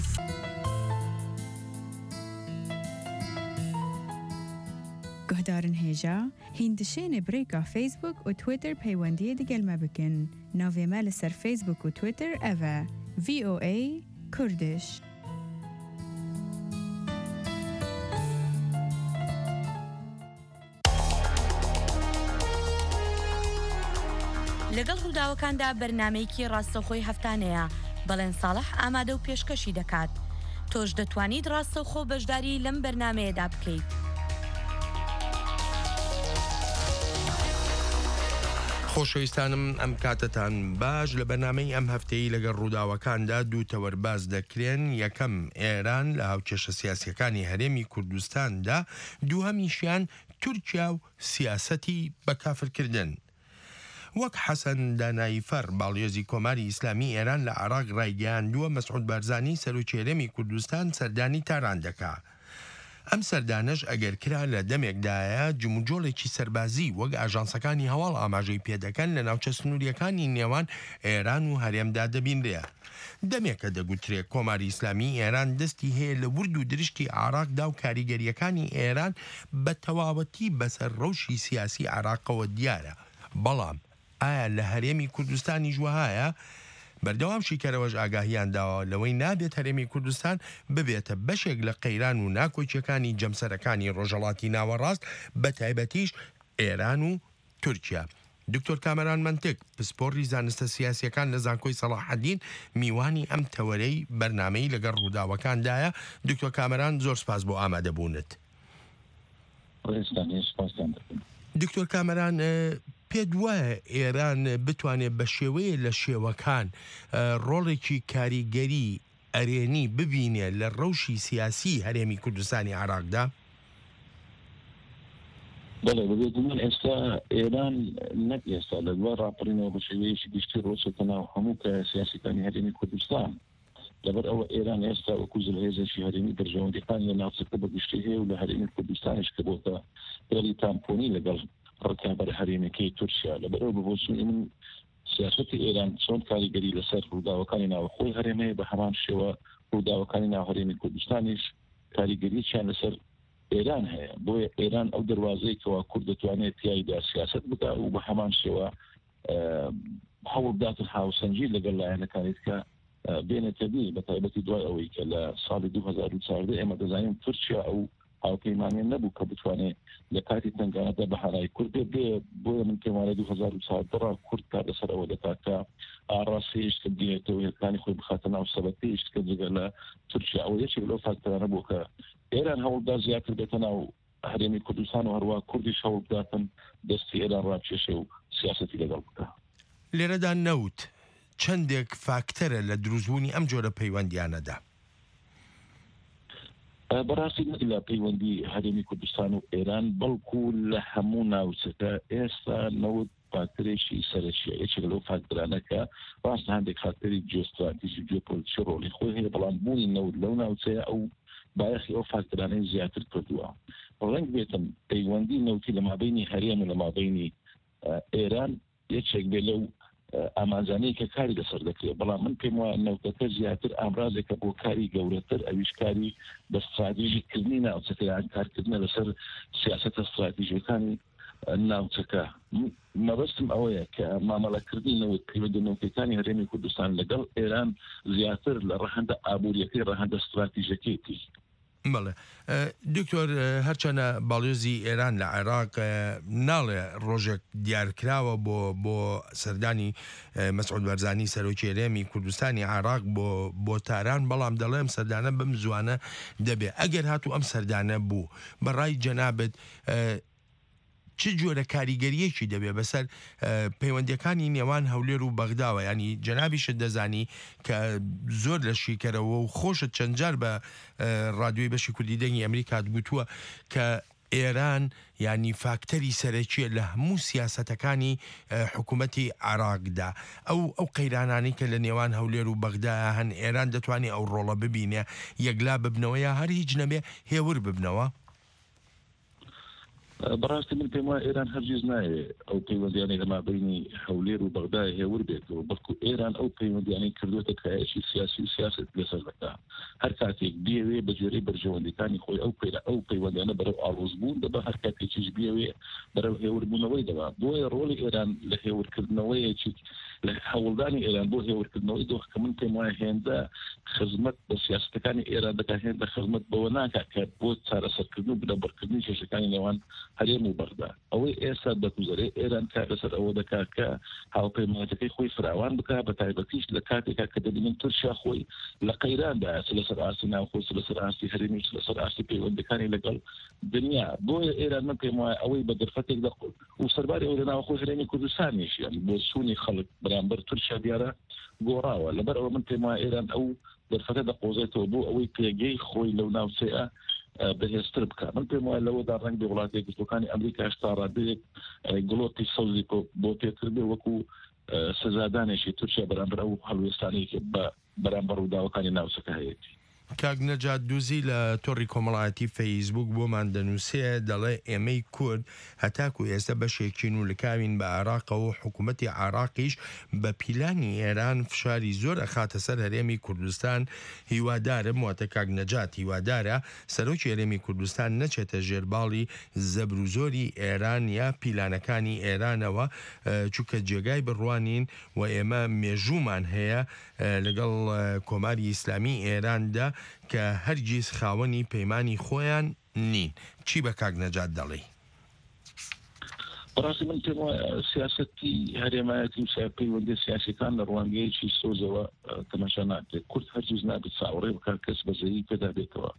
Guhdarên hêja, hîn dişêne bi rêka Facebook û Twitter peywendiyê digel me bikin. Navê me li ser Facebook û Twitter ev e, V O A Kurdish. لەگەڵ ڕووداوەکاندا بەرنامەیەکی ڕاستەوخۆی هەفتانەیە. بەڵێن ساڵح ئامادە و پێشکەشی دەکات. تۆش دەتوانیت ڕاستەوخۆ بەشداری لەم بەرنامەیەدا بکەیت. خۆشەویستانم، ئەم کاتتان باش. لە بەرنامەی ئەم هەفتەی لەگەڵ ڕووداوەکاندا دوو تەوەر باس دەکرێن. یەکەم، ئێران لە هاوکێشە سیاسیەکانی هەرێمی کوردستاندا، دووهەمیشیان تورکیا و سیاسەتی بەکافرکردن. وەک حەسەن داناییفەر، باڵیۆزی کۆماری ئیسلامی ئێران لە عێراق ڕایگەیاندووە، مەسعود بارزانی، سەرۆکی هەرێمی کوردستان، سەردانی تاران دەکا. ئەم سەردانەش ئەگەر کرا لە دەمێکدایە، جموجۆڵێکی سەربازی وەک ئاژانسەکانی هەواڵ ئاماژەی پێدەکەن لە ناوچە سنووریەکانی نێوان ئێران و هەرێمدا دەبینرێ. دەمێکە دەگوترێ کۆماری ئیسلامی ئێران دەستی هەیە لە ورد و درشتی عێراقدا و کاریگەریەکانی ئێران بە تەواوەتی بەسەر ڕەوشی سیاسی عێراقەوە دیارە. بەڵام ئایا لە هەرێمی کوردستانیش وەهایە؟ بەردەوام شیکەرەوەش ئاگاهیان داوە لەوەی نابێت هەرێمی کوردستان ببێتە بەشێک لە قەیران و ناکۆکیەکانی جەمسەرەکانی ڕۆژهەڵاتی ناوەڕاست، بە تایبەتیش ئێران و تورکیا. دکتۆر کامەران مەنتک، پسپۆڕی زانستە سیاسیەکان لە زانکۆی سەڵاحەدین، میوانی ئەم تەوەرەی بەرنامەی لەگەڵ ڕووداوەکاندایە. دکتۆر کامەران، زۆر سپاس بۆ ئامادەبوونت. ڕێزتان هەیە، سپاستان دەکەم. دکتۆر کامەران، ئە، پێت وایە ئێران بتوانێت بە شێوەیە لە شێوەکان، ئە، ڕۆڵێکی کاریگەری ئەرێنی ببینێ لە ڕەوشی سیاسی هەرێمی کوردستانی عێراقدا؟ بەڵێ، بەبێ گومان ئێستا ئێران، نەک ئێستا، لە دوای ڕاپەڕینەوە بە شێوەیەکی گشتی ڕۆچێتە ناو هەموو کایە سیاسیەکانی هەرێمی کوردستان. لەبەر ئەوە ئێران ئێستا وەکو زلهێزێکی هەرێمی بەرژەوەندیەکانی لە ناوچەکە بە گشتی هەیە و لە هەرێمی کوردستانیش کە بۆتە پێڵی تامپۆنی لەگەڵ ڕکابەر هەرێمەکەی تورکیا. لەبەر ئەوە بە بۆچوونی من سیاسەتی ئێران چۆن کاریگەری لەسەر ڕووداوەکانی ناوخۆی هەرێم هەیە، بە هەمان شێوە ڕووداوەکانی ناو هەرێمی کوردستانیش کاریگەریەکیان لەسەر ئێران هەیە. بۆیە ئێران ئەو دەروازەیە کەوا کورد دەتوانێت تیایدا سیاسەت بکا و بە هەمان شێوە، ئە، هەوڵ بداتن هاوسەنگی لەگەڵ لایەنەکانی دیکە، ئە، بێنێتە دی، بە تایبەتی دوای ئەوەی کە لە ساڵی دوو هەزار و چواردە ئێمە دەزانین تورکیا ئەو هاوپەیمانیان نەبوو کە بتوانێت لە کاتی تەنگانەدا بە هەنای کورد بێ. بێ، بۆیە من پێم وانە دوو هەزار و چواردە ڕا کورد کار لەسەر ئەوە دەکات کە ئاڕاستەی هێشت بگرێتەوە، هێزەکانی خۆی بخاتە ناو سەبەتەی هێشت کە جگە لە تورکیا. ئەوە یەکێک لەو فاکتەرانە بوو کە ئێران هەوڵدا زیاتر بێتە ناو هەرێمی کوردستان و هەروە کوردیش هەوڵ بداتن دەستی ئێران ڕاکێشێ و سیاسەتی لەگەڵ بکە. لێرەدا نەوت چەندێک فاکتەرە لە دروستبوونی ئەم جۆرە پەیوەندیانەدا. ئە، بەڕاستی نەک لە پەیوەندی هەرێمی کوردستان و ئێران، بەڵکو لە هەموو ناوچەکە ئێستا نەوت فاکتەرێکی سەرەکیە، یەکێک لەو فاکتەرانە کە ڕاست هەندێک فاکتەری جیۆستراتیژی و جیۆپۆلیتیکی ڕۆڵی خۆی هەیە، بەڵام بوونی نەوت لەو ناوچەیە ئەو بایەخی ئەو فاکتەرانەی زیاتر کردووە. ڕەنگ بێتن پەیوەندی نەوتی لە مابەینی هەرێم و لە مابەینی، ئە، ئێران یەکێک بێ لەو، ئە، ئامانجانەی کە کاری لەسەر دەکرێت. بەڵام من پێم وایە نەوتەکە زیاتر ئامرازێکە بۆ کاری گەورەتر، ئەویش کاری بە استراتیژی کردنی ناوچەکە، یان کارکردنە لەسەر سیاسەتە استراتیژیەکانی، ئە، ناوچەکە. م-، مەبەستم ئەوەیە کە مامەڵەکردنی نەوت، پەیوەندی نەوتەکانی هەرێمی کوردستان لەگەڵ ئێران زیاتر لە ڕەهەندە ئابووریەکەی، ڕەهەندە استراتیژەکەیەتی. بەڵێ. ئە، دکتۆر، ئە، هەرچەنە باڵیۆزی ئێران لە عێراق، ئە، ناڵێ ڕۆژێک دیارکراوە بۆ، بۆ سەردانی، ئە، مەسعود بەرزانی، سەرۆکی هەرێمی کوردستانی عێراق بۆ، بۆ تاران، بەڵام دەڵێم سەردانە بەم زوانە دەبێ. ئەگەر هاتوو ئەم سەردانە بوو، بەڕای جەنابت، ئە، چ جۆرە کاریگەریەکی دەبێ بەسەر، ئە، پەیوەندیەکانی نێوان هەولێر و بەغداوە؟ یعنی، جەنابیشت دەزانی کە زۆر لە شیکەرەوە و خۆشت چەند جار بە، ئە، ڕادیۆی بەشی کوردی دەنگی ئەمریکات گوتووە کە ئێران، یعنی، فاکتەری سەرەکیە لە هەموو سیاسەتەکانی، ئە، حکوومەتی عێراقدا. ئەو، ئەو قەیرانانی کە لە نێوان هەولێر و بەغدایە هەن، ئێران دەتوانێت ئەو ڕۆڵە ببینێ، یەکلا ببنەوە یا هەر هیچ نەبێ، هێور ببنەوە؟ بەڕاستی من پێم وایە ئێران هەرگیز نایێ ئەو پەیوەندیانەی لە مابەینی هەولێر و بەغدای هێور بێتەوە، بەڵکو ئێران ئەو پەیوەندیانەی کردوتە کایەکی سیاسی و سیاست لەسەر دەکا. هەر کاتێک بیەوێ بە جێرەی بەرژەوەندیەکانی خۆی ئەو پەیرە-، ئەو پەیوەندیانە بەرەو ئاڵۆزبوون دەبا، هەر کاتێکیش بیەوێ بەرەو هێوربوونەوەی دەبا. بۆیە ڕۆڵی ئێران لە هێورکردنەوەیەکی لە هەوڵدانی ئێران بۆ هێورکردنەوەی دۆخ کە من پێم وایە هێندە خزمەت بە سیاسەتەکانی ئێران دەکات، هێندە خزمەت بەوە ناکات کە بۆ چارەسەرکردن و بنەبڕکردنی کێشەکانی نێوان هەرێم و بەغدا. ئەوەی ئێستا دەگوزەرێ، ئێران کار لەسەر ئەوە دەکات کە هاوپەیمانەتەکەی خۆی فراوان بکات، بە تایبەتیش لە کاتێکا کە دەبینن تورکیا خۆی لە قەیراندا، چ لەسەر ئاستی ناوخۆ، چ لەسەر ئاستی هەرێمی، چ لەسەر ئاستی پەیوەندەکانی لەگەڵ دنیا. بۆیە ئێران، من پێم وایە، ئەوەی بە دەرفەتێک دەخۆ و سەرباری ئەوەی لە ناوخۆی هەرێمی کوردستانیش، یعنی بۆ سوونی خەڵک بەرامبەر تورکیا دیارە گۆڕاوە. لەبەر ئەوە من پێم وایە ئێران ئەو دەرفەتە دەقۆزێتەوە بۆ ئەوەی پێگەی خۆی لەو ناوچەیە، ئە، بەهێزتر بکات. من پێم وایە لەوەدا ڕەنگ بێ وڵاتە یەکگرتووەکانی ئەمریکاش تا ڕادەیەک، ئە، گڵۆپی سەوزی بۆ، بۆ پێتر بێ، وەکو، ئە، سزادانێکی تورکیا بەرامبەر ئەو هەڵوێستانەی کە بە، بەرامبەر ڕووداوەکانی ناوچەکە هەیەتی. کاک نەجات دوزی لە تۆڕی کۆمەڵایەتی فەیسبوک بۆمان دەنووسێ، دەڵێ: «ئێمەی کورد هەتاکو ئێستا بەشێکین و لکاوین بە عێراقەوە و حکوومەتی عێراقیش بە پیلانی ئێران فشاری زۆر ئەخاتە سەر هەرێمی کوردستان. هیوادارم»، واتە کاک نەجات هیوادارە، «سەرۆکی هەرێمی کوردستان نەچێتە ژێر باڵی زەبر و زۆری ئێران یا پیلانەکانی ئێرانەوە، ئە، چونکە جێگای بڕوانین و ئێمە مێژوومان هەیە، ئە، لەگەڵ، ئە، کۆماری ئیسلامی ئێراندا کە هەرگیز خاوەنی پەیمانی خۆیان نین.» چی بە کاک نەجات دەڵێی؟ بەڕاستی من پێم وایە سیاسەتی هەرێمایەتی و سیاپەیوەندی سیاسیەکان لە ڕوانگەیەکی سۆزەوە، ئە، تەماشا ناکرێت. کورد هەرگیز نابێت چاوەڕێ بکات کەس بەزەیی پێدا بێتەوە.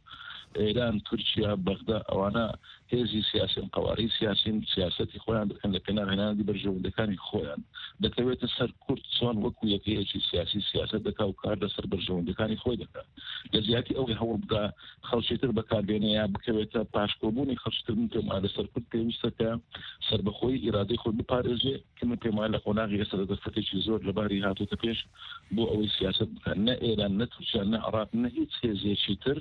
ئێران، تورکیا، بەغدا، ئەوانە هێزی سیاسین، قەوارەی سیاسین، سیاسەتی خۆیان دەکەن لە پێناو هێنانەدی بەرژەوەندەکانی خۆیان. دەکەوێتە سەر کورد چۆن وەکو یەکەیەکی سیاسی سیاسەت دەکا و کار لەسەر بەرژەوەندەکانی خۆی دەکا. لە جیاتی ئەوەی هەوڵ بدا خەڵکی تر بەکاربێنێ یا بکەوێتە پاشکۆبوونی خەڵکی تر، من پێم وایە لەسەر کورد پێویستە کە سەربەخۆی ئیرادەی خۆی بپارێزێ، کە من پێم وایە لە قۆناغی ئێستا دەرفەتێکی زۆر لە باری هاتووتە پێش بۆ ئەوەی سیاسەت بکات. نە ئێران، نە تورکیا، نە عێراق، نە هیچ هێزێکی تر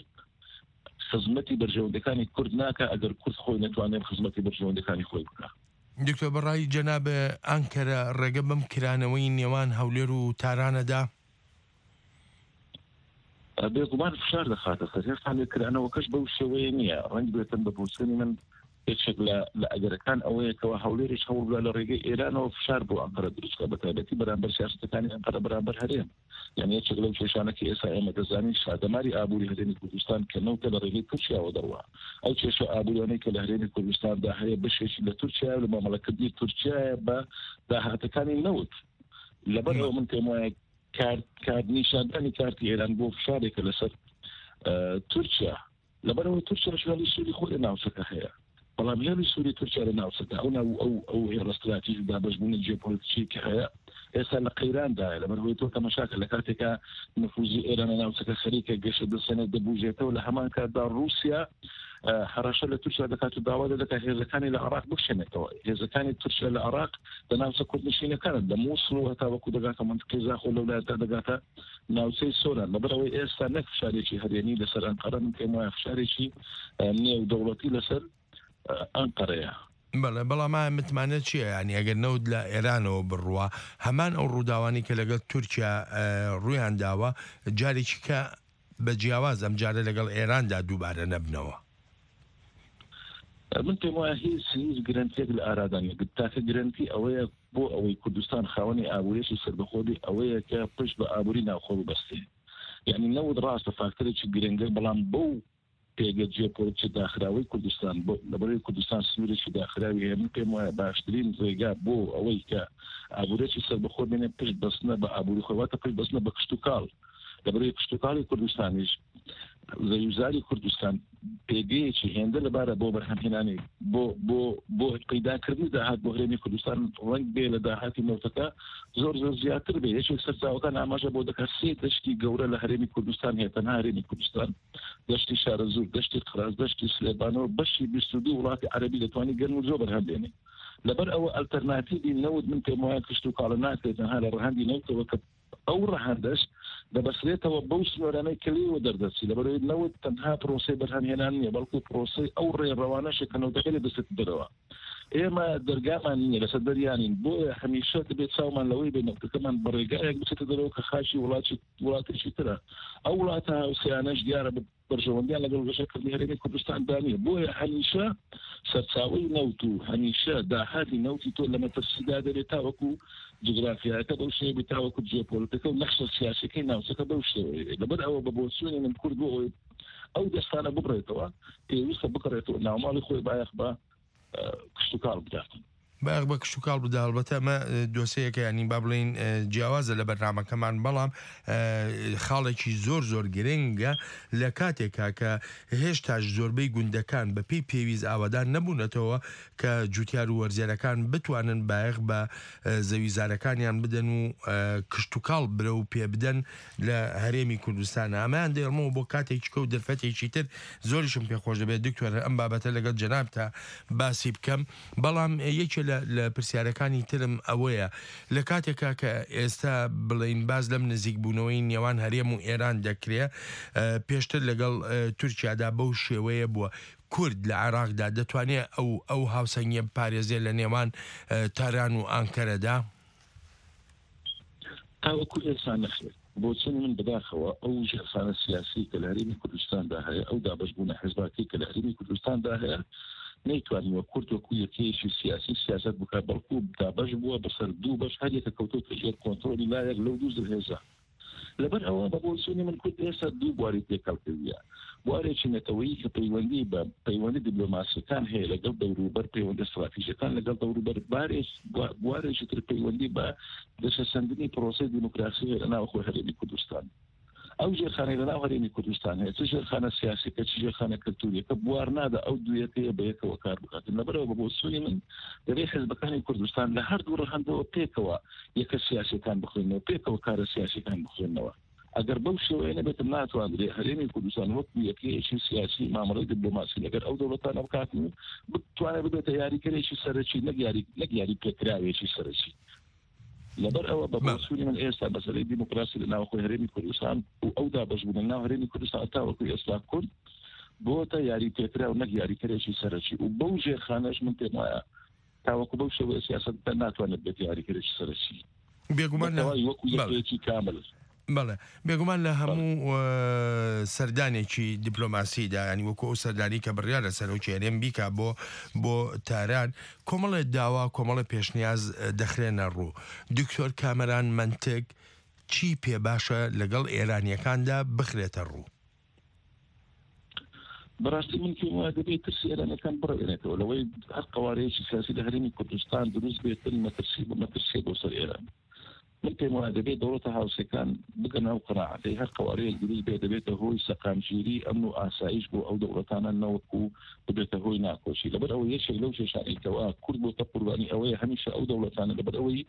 خزمەتی بەرژەوەندەکانی کورد ناکا ئەگەر کورد خۆی نەتوانێت خزمەتی بەرژەوەندەکانی خۆی بکا. دکتۆر، بەڕای جەناب ئەنکەرە ڕێگە بەم کرانەوەی نێوان هەولێر و تارانەدا؟ بێگومان فشار دەخاتە سەر. هێشتا لێکرانەوەکەش بەو شێوەیە نییە. ڕەنگ بێتن بە بۆچوونی من یەکێک لە، لە ئەگەرەکان ئەوەیە کەوا هەولێریش هەوڵ بدا لە ڕێگەی ئێرانەوە فشار بۆ ئەنقەرە دروست بکات، بە تایبەتی بەرامبەر سیاستەکانی ئەنقەرە بەرامبەر هەرێم. یعنی یەکێک لەو کێشانە کە ئێستا ئێمە دەزانین، شادەماری ئابووری هەرێمی کوردستان کە نەوتە لە ڕێگەی تورکیاوە دەڕوا. ئەو کێشە ئابووریانەی کە لە هەرێمی کوردستاندا هەیە، بەشێکی لە تورکیایە و لە مامەڵەکردنی تورکیایە بە داهاتەکانی نەوت. لەبەر ئەوە من پێم وایە کارت، کارت نیشاندانی کارتی ئێران بۆ فشارێکە لەسەر، ئە، تورکیا. لەبەرەوە تورکیا شوێنی سوودی خۆی لە ناوچەکە هەیە. بەڵام هێڵی سووری تورکیا لە ناوچەکە، ئەو ناو-، ئەو، ئەو هێڵە استراتیژی دابەشبوونی جیۆپۆلیتیکی کە هەیە، ئێستا لە قەیراندایە. لەبەر هۆی تۆ تەمەشاکە لە کاتێکا نفوزی ئێران لە ناوچەکە خەریکە گەشە دەسەنێت، دەبوژێتەوە. لە هەمان کاتدا رووسیا، ئە، هەڕەشە لە تورکیا دەکات و داوا دەکات هێزەکانی لە عێراق بکشێنێتەوە. هێزەکانی تورکیا لە عێراق لە ناوچە کوردنشینەکانە، لە مووسڵ و هەتا وەکو دەگاتە منتقی زاخۆ، لەو لایەندا دەگاتە ناوچەی سۆران. لەبەر ئەوەی ئێستا نەک فشارێکی هەرێمی لەسەر ئەنقەرە، من پێم وایە فشارێکی، ئە، نێودەوڵەتی لەسەر، ئە، ئەنقەرەیە. بەڵێ، بەڵام ئایا متمانە چییە؟ یعنی، ئەگەر نەوت لە ئێرانەوە بڕوا، هەمان ئەو ڕووداوانی کە لەگەڵ تورکیا، ئە، ڕوویان داوە، جارێکی کە بە جیاواز ئەم جارە لەگەڵ ئێراندا دووبارە نەبنەوە؟ من پێم وایە هیچ، هیچ گرنتیەک لە ئارادا نیە. تاکە گرنتی ئەوەیە بۆ ئەوەی کوردستان خاوەنی ئابووریەکی سەربەخۆ بێ، ئەوەیە کە پشت بە ئابووری ناوخۆ ببەستێ. یعنی نەوت ڕاستە فاکتەرێکی گرنگە، بەڵام بەو پێگە جیۆپۆلیتیکی داخراوەی کوردستان، بۆ لەبەرەوەی کوردستان سنوورێکی داخراوی هەیە، من پێم وایە باشترین ڕێگا بۆ ئەوەی کە ئابوورێکی سەربەخۆ بێنێ پشت بەستنە بە ئابووری خۆی، واتە پشت بەستنە بە کشتوکاڵ. لەبەرەوەی کشتوکاڵی کوردستانیش، زەویزاری کوردستان پێگەیەکی هێندە لەبارە بۆ بەرهەمهێنانی، بۆ، بۆ، بۆ پەیداکردنی داهات بۆ هەرێمی کوردستان، ڕەنگ بێ لە داهاتی نەوتەکە زۆر، زۆر زیاتر بێ. یەکێک سەرچاوەکان ئاماژە بۆ دەکات سێ دەشتی گەورە لە هەرێمی کوردستان هەیە، تەنها هەرێمی کوردستان، دەشتی شارەزوور، دەشتی قراز، دەشتی سلێبانەوە، بەشی بیست و دوو وڵاتی عەرەبی دەتوانێت گەرم و زۆر بەرهەم بێنێ. لەبەر ئەوە ئەلتەرناتیڤی نەوت، من پێم وایە کشتوکاڵە ناکرێت تەنها لە ڕەهەندی نەوتەوە، کە ئەو ڕەهەندەش دەبەسرێتەوە بەو سنوورانەی کە لێوە دەردەچی. لەبەرەوەی نەوت تەنها پرۆسەی بەرهەمهێنان نییە، بەڵکو پرۆسەی ئەو ڕێڕەوانەشە کە نەوتەکە لێ دەچێتە دەرەوە. ئێمە دەرگامان نییە، لەسەر دەریانین، بۆیە هەمیشە دەبێت چاومان لەوەی بێ نەوتەکەمان بە ڕێگایەک بچێتە دەرەوە کە خاکی وڵاتی، وڵاتێکی ترە. ئەو وڵاتە هاوسێیانەش دیارە بە بەرژەوەندیان لەگەڵ ڕێژەی کردنی هەرێمی کوردستاندا نییە. بۆیە هەمیشە سەرچاوەی نەوت و هەمیشە داهاتی نەوتی تۆ لە مەترسیدا دەبێت، تاوەکو جوگرافیایەکە بەو شێوەی، تاوەکو جیۆپۆلیتیکە و نەخشە سیاسیەکەی ناوچەکە بەو شێوەیە. لەبەر ئەوە بە بۆچوونی من کورد بۆ ئەوەی ئەو دەستانە ببڕێتەوە، پێویستە بقڕێتەوە ناوماڵی خۆی بایەخ بە، ئە، کشت و کاڵ بدات. بایەخ بە کشت و کاڵ بدا. هەڵبەتە ئەمە، ئە، دۆسەیەکە، یعنی، با بڵێن، ئە، جیاوازە لە بەرنامەکەمان، بەڵام، ئە، خاڵێکی زۆر زۆر گرنگە لە کاتێکا کە هێشتاش زۆربەی گوندەکان بە پێی پێویست ئاوادان نەبوونەتەوە کە جوتیار و وەرزێرەکان بتوانن بایەخ بە، ئە، زەویزارەکانیان بدەن و، ئە، کشت و کاڵ برە و پێ بدەن لە هەرێمی کوردستان. ئەمەیان دێڵمەوە بۆ کاتێکی کە و دەرفەتێکی تر زۆریشم پێخۆش دەبێت، دکتۆر، ئەم بابەتە لەگەڵ جەنابتا باسی بکەم. بەڵام یەکێ لە، لە پرسیارەکانی ترم ئەوەیە، لە کاتێکا کە ئێستا بڵین باز لەم نزیکبوونەوەی نێوان هەرێم و ئێران دەکرێ، ئە، پێشتر لەگەڵ، ئە، تورکیادا بەو شێوەیە بووە. کورد لە عێراقدا دەتوانێت ئەو، ئەو هاوسەنگیە بپارێزێت لە نێوان، ئە، تاران و ئانکەرەدا؟ تاوەکو ئێستا نەخێر. بۆچوونی من بەداخەوە ئەو ژێرخانە سیاسی کە لە هەرێمی کوردستاندا هەیە، ئەو دابەشبوونە حزباتی کە لە هەرێمی کوردستاندا هەیە، نەیتوانیوە کورد وەکو یەکەیەکی سیاسی سیاست بکات، بەڵکو دابەش بووە بەسەر دوو بەش، هەر یەکە کەوتۆتە ژێر کۆنترۆلی لایەک لەو دوو زلهێزە. لەبەر ئەوە بە بۆچوونی من کورد ئێستا دوو بواری تێکەڵکەویە. بوارێکی نەتەوەیی کە پەیوەندی بە پەیوەندی دیبلۆماسیەکان هەیە لەگەڵ دەوروبەر، پەیوەندی استراتیژیەکان لەگەڵ دەوروبەر، بارێک-، بوا-، بوارێکی تر پەیوەندی بە گەشەسەندنی پرۆسەی دیموکراسی هەیە لە ناوخۆی هەرێمی کوردستان. ئەو ژێرخانەی لە ناو هەرێمی کوردستان هەیە، چ ژێرخانە سیاسیەکە، چ ژێرخانە کلتوریەکە، بوار نادا ئەو دوویەکەیە بە یەکەوە کار بکاتن. لەبەرەوە بە بۆچوونی من دەبێت حزبەکانی کوردستان لە هەردوو ڕەهەندەوە پێکەوە یەکە سیاسیەکان بخوێنەوە، پێکەوە کارە سیاسیەکان بخوێنەوە. ئەگەر بەو شێوەیە نەبێت، ناتوانرێت هەرێمی کوردستان وەکو یەکەیەکی سیاسی مامەڵەی دیبلۆماسی لەگەر ئەو دەوڵەتانە بکات و بتوانێت ببێتە یاریکەرێکی سەرەکی، نەک یاری-، نەک یاری پێکراوێکی سەرەکی. لەبەر ئەوە بە بەڵێ. بۆچوونی من ئێستا مەسەلەی دیموکراسی لە ناوخۆی هەرێمی کوردستان و ئەو دابەشبوونە ناو هەرێمی کوردستان تاوەکو ئێستا کورد بۆتە یاری پێکراو، نەک یاریکەرێکی سەرەکی. و بەو ژێرخانەش من پێم وایە تاوەکو بەو شێوەیە سیاسەت بکات، ناتوانێت بێت یاریکەرێکی سەرەکی. بێگومان لە بەتەواوی وەکو بەڵێ. یەکەیەکی کامل. بەڵێ. بێگومان لە بەڵێ. هەموو، ئە، سەردانێکی دیپلۆماسیدا، یعنی وەکو ئەو سەردانی کە بڕیارە سەرۆکی هەرێم بیکا بۆ، بۆ تاران، کۆمەڵێ داوا، کۆمەڵێ پێشنیاز، ئە، دەخرێنە ڕوو. دکتۆر کامەران مەنتک چی پێ باشە لەگەڵ ئێرانیەکاندا بخرێتە ڕوو؟ بەڕاستی من پێم وایە دەبێت ترسی ئێرانەکان بڕەوێنێتەوە لەوەی هەر قەوارەیەکی سیاسی لە هەرێمی کوردستان دروست بێتن، مەترسی بۆ، مەترسیە بۆ سەر ئێران. من پێم وایە دەبێت دەوڵەتە هاوسەکان بگەن ئەو قەناعەتەی هەر قەوارەیەک دروست بێت دەبێتە هۆی سەقامگیری، ئەمن و ئاسایش بۆ ئەو دەوڵەتانە، نەوەکو ببێتە هۆی ناکۆچی. لەبەر ئەوە یەکێک لەو کێشانەی کەوا کورد بۆتە قوربانی ئەوەیە هەمیشە ئەو دەوڵەتانە، لەبەر ئەوەی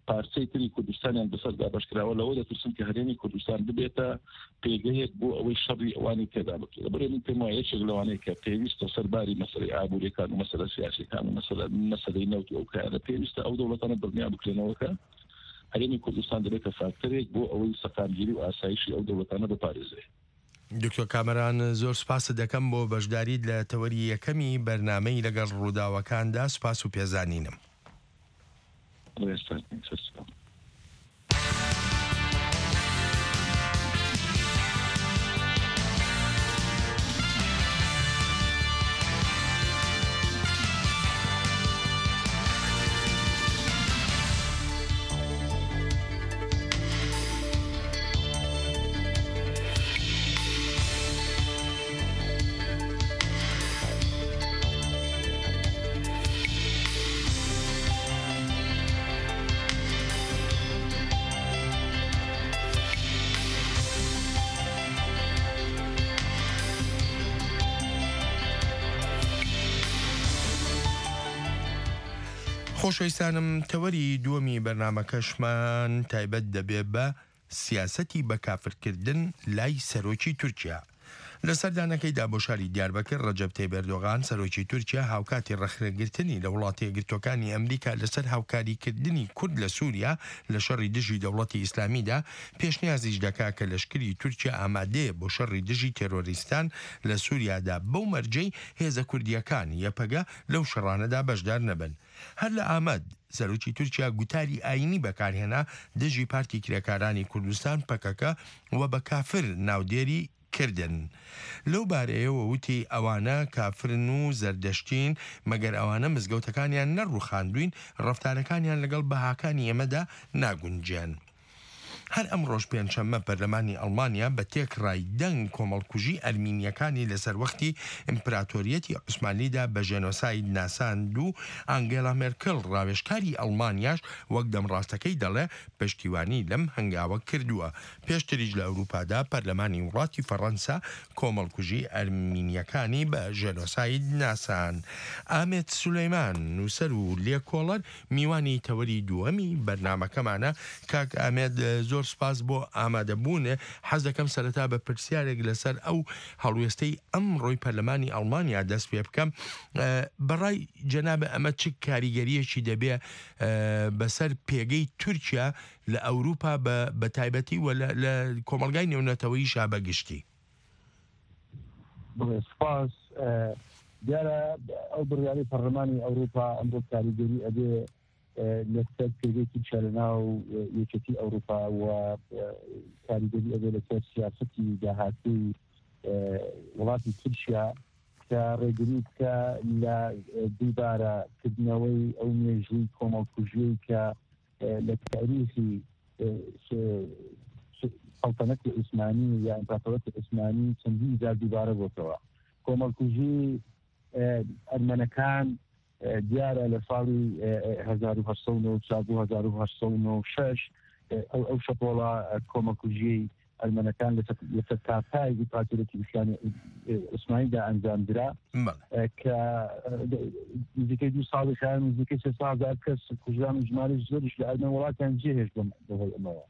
پارچەی تری کوردستانیان بەسەر دابەش کراوە، لەوە دەترسن کە هەرێمی کوردستان ببێتە پێگەیەک بۆ ئەوەی شەڕی ئەوانی تێدا بکرێت. لەبەرێ من پێم وایە یەکێک لەوانەیە کە پێویستە سەرباری مەسەلەی ئابووریەکان و مەسەلە سیاسیەکان و مەسەلە، مەسەلەی نەوت و ئەو کایانە پێویستە ئەو دەوڵەتانە دڵنیا بکرێنەوە کە هەرێمی کوردستان دەبێتە فاکتەرێک بۆ ئەوەی سەقامگیری و ئاسایشی ئەو دەوڵەتانە بپارێزێ. دکتۆر کامەران، زۆر سپاست دەکەم بۆ بەشداریت لە تەوەری یەکەمی بەرنامەی لەگەڵ ڕووداوەکاندا. سپاس و پێزانینم. ڕێستان، سەرسەر. خۆشەویستانم، تەوەری دووەمی بەرنامەکەشمان تایبەت دەبێ بە سیاسەتی بەکافرکردن لای سەرۆکی تورکیا. لە سەردانەکەیدا بۆ شاری دیاربەکر، ڕەجەب تەیب ئەردۆغان، سەرۆکی تورکیا، هاوکاتی ڕەخنەگرتنی لە وڵاتە یەکگرتوەکانی ئەمریکا لەسەر هاوکاریکردنی کورد لە سووریا لە شەڕی دژی دەوڵەتی ئیسلامیدا، پێشنیازیش دەکا کە لەشکری تورکیا ئامادەیە بۆ شەڕی دژی تێرۆریستان لە سووریادا، بەو مەرجەی هێزە کوردیەکان، یەپەگە، لەو شەڕانەدا بەشدار نەبن. هەر لە ئامەد، سەرۆکی تورکیا گوتاری ئاینی بەکارهێنا دژی پارتی کرێکارانی کوردستان، پەکەکە، و بە کافر ناودێری کردن. لەو بارەیەوە وتی، ئەوانە کافرن و زەردەشتین، مەگەر ئەوانە مزگەوتەکانیان نەڕوخاندوین، ڕەفتارەکانیان لەگەڵ بەهاکانی ئێمەدا ناگونجێن. هەر ئەمڕۆش پێنجشەممە پەرلەمانی ئەڵمانیا بە تێکڕای دەنگ کۆمەڵکوژی ئەرمینیەکانی لەسەر وەختی ئیمپراتۆریەتی عوسمانلیدا بە ژێنۆساید ناساند و ئانگێلا مێرکل ڕاوێژکاری ئەڵمانیاش وەک دەمڕاستەکەی دەڵێ پشتیوانی لەم هەنگاوە کردووە. پێشتریش لە ئەوروپادا پەرلەمانی وڵاتی فەڕەنسا کۆمەڵکوژی ئەرمینیەکانی بە ژێنۆساید ناسان. ئامێد سولەیمان، نووسەر و لێکۆڵەر، میوانی تەوەری دووەمی بەرنمەکەمانە. کاک ئامێد، زۆر سپاس بۆ ئامادەبوونێ. حەز دەکەم سەرەتا بە پرسیارێک لەسەر ئەو هەڵوێستەی ئەمڕۆی پەرلەمانی ئەڵمانیا دەست پێ بکەم. بەڕای جەنابە ئەمە چ کاریگەریەکی دەبێ بەسەر پێگەی تورکیا لە ئەوروپا بە تایبەتی و لە کۆمەلگای نێونەتەوەیشا بەگشتی؟ بڵێ سپاس. دیارە ئەو بڕیاری پەرلەمانی ئەوروپا ئەمڕۆ کاریگەری ئەبێ لەسەر پێگەی تورکیا لە ناو یەکێتی ئەوروپا و کاریگەری ئەبێ لەسەر سیاسەتی داهاتووی وڵاتی تورکیا کە ڕێگری بکە لە دووبارە کردنەوەی ئەو مێژووی کۆمەڵکوژیەی کە لە تاریخی سەڵتەنەتی عوسمانی یا ئیمپراتۆرەتی عوسمانی چەندین جار دووبارە بۆتەوە. کۆمەڵکوژی ئەرمەنەکان دیارە لە ساڵی هەزار و هەشت سەد و نەوەد و چوار بۆ هەزار و هەشت سەد و نەوەد و شەش ئەو ئەو شەپۆڵە کۆمەڵکوژیەی ئەرمەنەکان لەسەر تاپای ئیمپراتۆرەتی ئیسلامی عوسمانیدا ئەنجام درا کە نزیکەی دوو ساڵی خایان نزیکەی سێ سەد هەزار کەس کوژران و ژمارەی زۆریش لە ئەرمەن وڵاتیان جێهێشت بەهۆی ئەمەوە.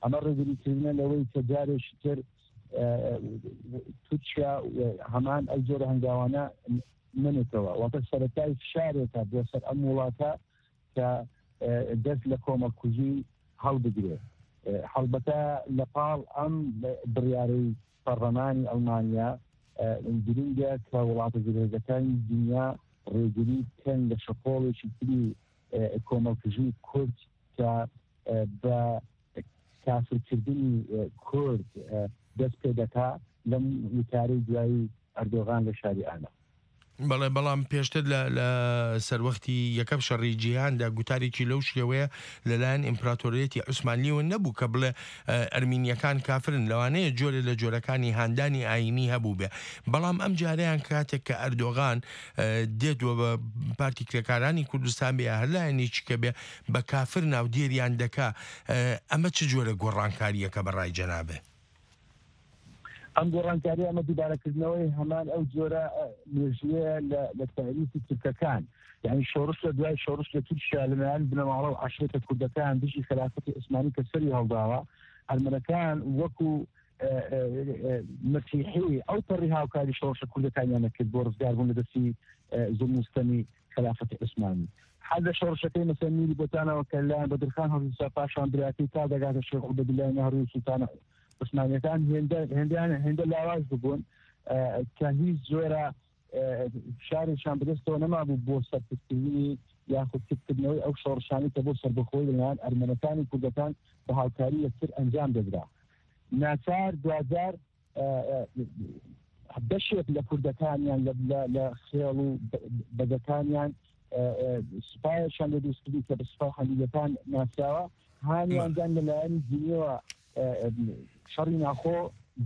ئەمە ڕێگریکردنە لەوەی کە جارێکی تر تورکیا هەمان ئەو جۆرە هەنگاوانە نەنێتەوە، واتە سەرەتای فشارێکە بۆ سەر ئەم وڵاتە کە دەست لە کۆمەڵکوژی هەڵبگرێ. هەڵبەتە لە پاڵ ئەم بڕیارەی پەڕلەمانی ئەڵمانیا گرنگە کە وڵاتە زلهێزەکانی دنیا ڕێگری بکەن لە شەپۆڵێکی تری کۆمەڵکوژی کورد کە بە کافرکردنی کورد دەست پێ دەکا لەم وتارەی دوایی ئەردۆغان لە شاری ئانا. بەڵێ، بەڵام پێشتر لە لە سەروەختی یەکەم شەڕی جیهاندا گوتارێکی لەو شێوەیە لەلایەن ئیمپراتۆریەتی عوسمانلیەوە نەبوو کە بڵێ ئەرمینیەکان کافرن. لەوانەیە جۆرە لە جۆرەکانی هاندانی ئاینی هەبوو بێ، بەڵام ئەم جارەیان کاتێک کە ئەردۆغان دێت و بە پارتی کرێکارانی کوردستان بێ یا هەر لایەنێکی کە بێ بە کافر ناودێریان دەکا. ئەمە چ جۆرە گۆڕانکاریەکە بە ڕای جەنابێ؟ ئەم گۆڕانکاری ئەمە دووبارەکردنەوەی هەمان ئەو جۆرە مێژوویە لە تاریخی تورکەکان، یعنی شۆڕش لە دوای شۆڕش لە تورکیا لەلایەن بنەماڵە و عەشیرەتە کوردەکان دژی خەلافەتی عوسمانی کە سەری هەڵداوە، ئەرمەنەکان وەکو مەسیحی ئەو پەڕی هاوکاری شۆڕشە کوردەکانیان نەکرد بۆ ڕزگاربوون لە دەستی زوڵم و ستەمی خەلافەتی عوسمانی. حال لە شۆڕشەکەی مەسەر میری بۆتانەوە کە لەلایەن بەدرخان هەڵگیرسا، پاشان براکەی تا دەگاتە شێخ عوبەدیلای نەهڕوی و سوڵتانە عوسمانیەکان هێندە هێندەیان هێندە لاواز ببوون کە هیچ جۆرە فشارێکیان بەدەستەوە نەمابوو بۆ سەرکوتکردنی یاخود کپکردنەوەی ئەو شۆڕشانەی کە بۆ سەربەخۆی لەلایەن ئەرمەنەکانی کوردەکان بە هاوکاری یەکتر ئەنجام دەدرا. ناچار دواجار بەشێک لە کوردەکانیان لە خێڵ و بەگەکانیان سوپایەکیان لە دروستکردی کە بە سوپای حەمیدەکان ناسراوە، هانیاندان لەلایەنی دینیەوە شەڕی ناخۆ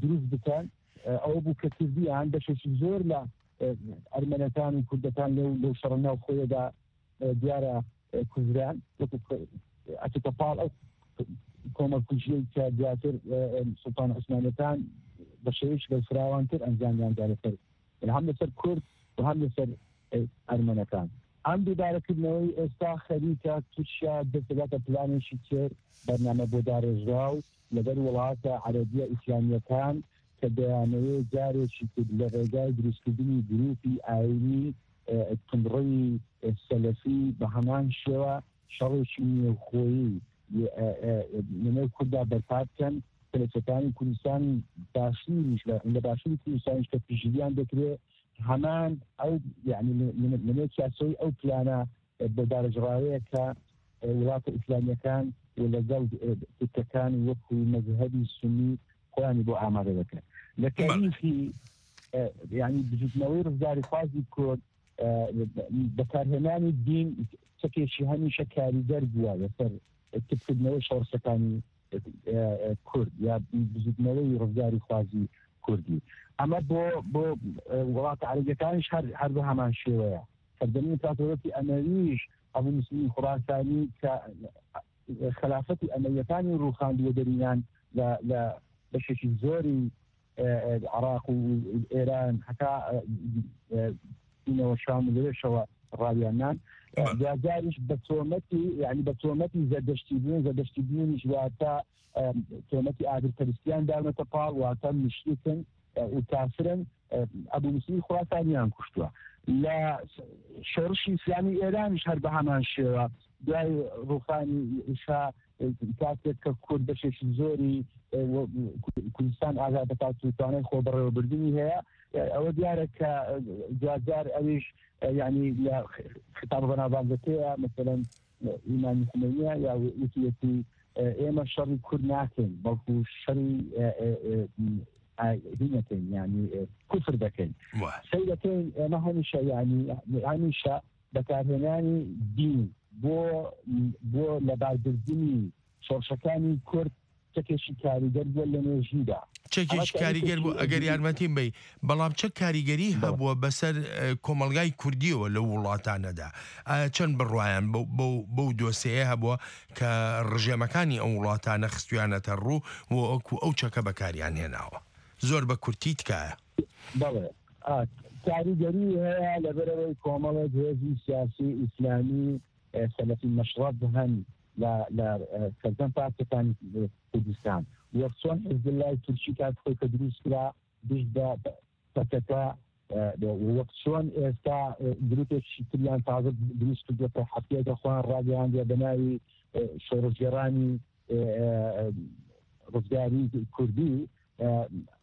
دروست بکەن. ئەوە بوو کە کردیان بەشێکی زۆر لە ئەرمەنەکان و کوردەکان لەو لەو شەڕە ناوخۆیەدا دیارە کوردران وەکو ئەچێتە پاڵ ئەو کۆمەڵکوژیەی کە دواتر سوڵتان عوسمانەکان بە شێوەیەکی بەرفراوانتر ئەنجامیان دا لەسەر هەم لەسەر کورد و هەم لەسەر ئەرمەنەکان. ئەم دووبارەکردنەوەی ئێستا خەریکە تورکیا دەست دەداتە پلانێکی تر، بەرنامە بۆ داڕێژراو لەگەڵ وڵاتە عەرەبیە ئیسلامیەکان کە دەیانەوێت جارێکی تر لە ڕێگای دروستکردنی گروپی ئاینی تونڕەوی سەلەفی بە هەمان شێوە شەڕێکی نێوخۆیی لەنێو کوردا بەرپا بکەن کە لە سەرانی کوردستانی باشووریش لە باشووری کوردستانیش کە پشتگیریان دەکرێت هەمان ئەو یعنی لەنێو چاسەوەی ئەو پلانە بۆ دارەژڕاوەیە کە وڵاتە ئیسلامیەکان و لەگەڵ تورکەکان وەکو مەزهەبی سونی خۆیانی بۆ ئامادە دەکەن. لە تاریخی، ئە، یعنی بزوتنەوەی ڕزگاری خوازی کورد، ئە، بەکارهێنانی دین چەکێکی هەمیشە کاریگەر بووە لەسەر تپکردنەوەی شۆڕشەکانی، ئە، ئە، کورد یا بزوتنەوەی ڕزگاری خوازی کوردی. ئەمە بۆ، بۆ، ئە، وڵاتە عەرەبیەکانیش هەر، هەر بە هەمان شێوەیە. سەردەمی ئیمپراتۆرەتی ئەمەویش، ئەبو موسلیم خوراسانی کە خەلافەتی ئەمەویەکانی ڕووخاندووە دەرینان لە، لە بەشێکی زۆری، ئە، ئە، عێراق و ئێران، هەتا، ئە، ئە، چوونەوە شام و لەوێشەوە ڕاویاننان. ئە، بەڵێ. دوجاریش بە تۆمەتی، یعنی بە تۆمەتی زەردەشتی بوون، زەردەشتی بوونیش واتە، ئە، تۆمەتی ئاگرپەرستیان داونەتە پاڵ، واتە مشرکن، ئە، و کافرن. ئە، ئەبو موسلیم خوراسانیان کوشتووە. لە شۆڕشی ئیسلامی ئێرانیش هەر بە هەمان شێوە، دوای ڕووخانی شا، ئە، کاتێک کە کورد بەشێکی زۆری، ئە، و، کو-، کوردستان ئازاد دەکات و توانای خۆ بەڕێوەبردنی هەیە، ئە، ئەوە دیارە کە، ئە، جارجار ئەویش، ئە، یعنی لە خ-، خطابە بەناوبانگەکەیە، مەسەلەن، ئە، ئیمامی خمینیە یا وتیەتی، ئە، ئێمە شەڕی کورد ناکەین، بەڵکو شەڕی، ئە، ئە، ئە، ئە، هی نەکەین، یعنی، ئە، کوفر دەکەین. وە. سەی دەکەین، ئێمە هەمیشە، یعنی، هەمیشە بەکارهێنانی دین بۆ، بۆ لەباربردنی شۆڕشەکانی کورد چەکێکی کاریگەر بووە لە مێژوودا. ئەمە چەکێکی تاریخی کاریگەر بوو، ئەگەر یارمەتیم بەی. بەڵام چەک کاریگەری بەڵێ. هەبووە بەسەر، ئە، کۆمەڵگای کوردیەوە لەو وڵاتانەدا؟ ئایا چەند بڕوایان بەو، بەو، بەو دۆسەیە هەبووە کە ڕژێمەکانی ئەو وڵاتانە خستویانەتە ڕوو و وەکو ئەو چەکە بەکاریان هێناوە؟ زۆر بە کورتی تکایە. بەڵێ. ئا، کاریگەری هەیە لەبەرەوەی کۆمەڵێک هێزی سیاسی ئیسلامی، ئە، سەلەفی مەشڕەب هەن لە، لە، ئە، سەرجەم پارچەکانی کوردستان. وەک چۆن حزباللای تورکی کات خۆی کە دروست کرا، دژ بە پەکەکە، ئە، وەک چۆن ئێستا، ئە، گروپێکی تریان تازە دروست کردووە کە حەفتەیەکە خۆیان ڕاگەیاندووە بە ناوی، ئە، شۆڕشگێڕانی، ئە، ئە، ڕزگاری کوردی، ئە،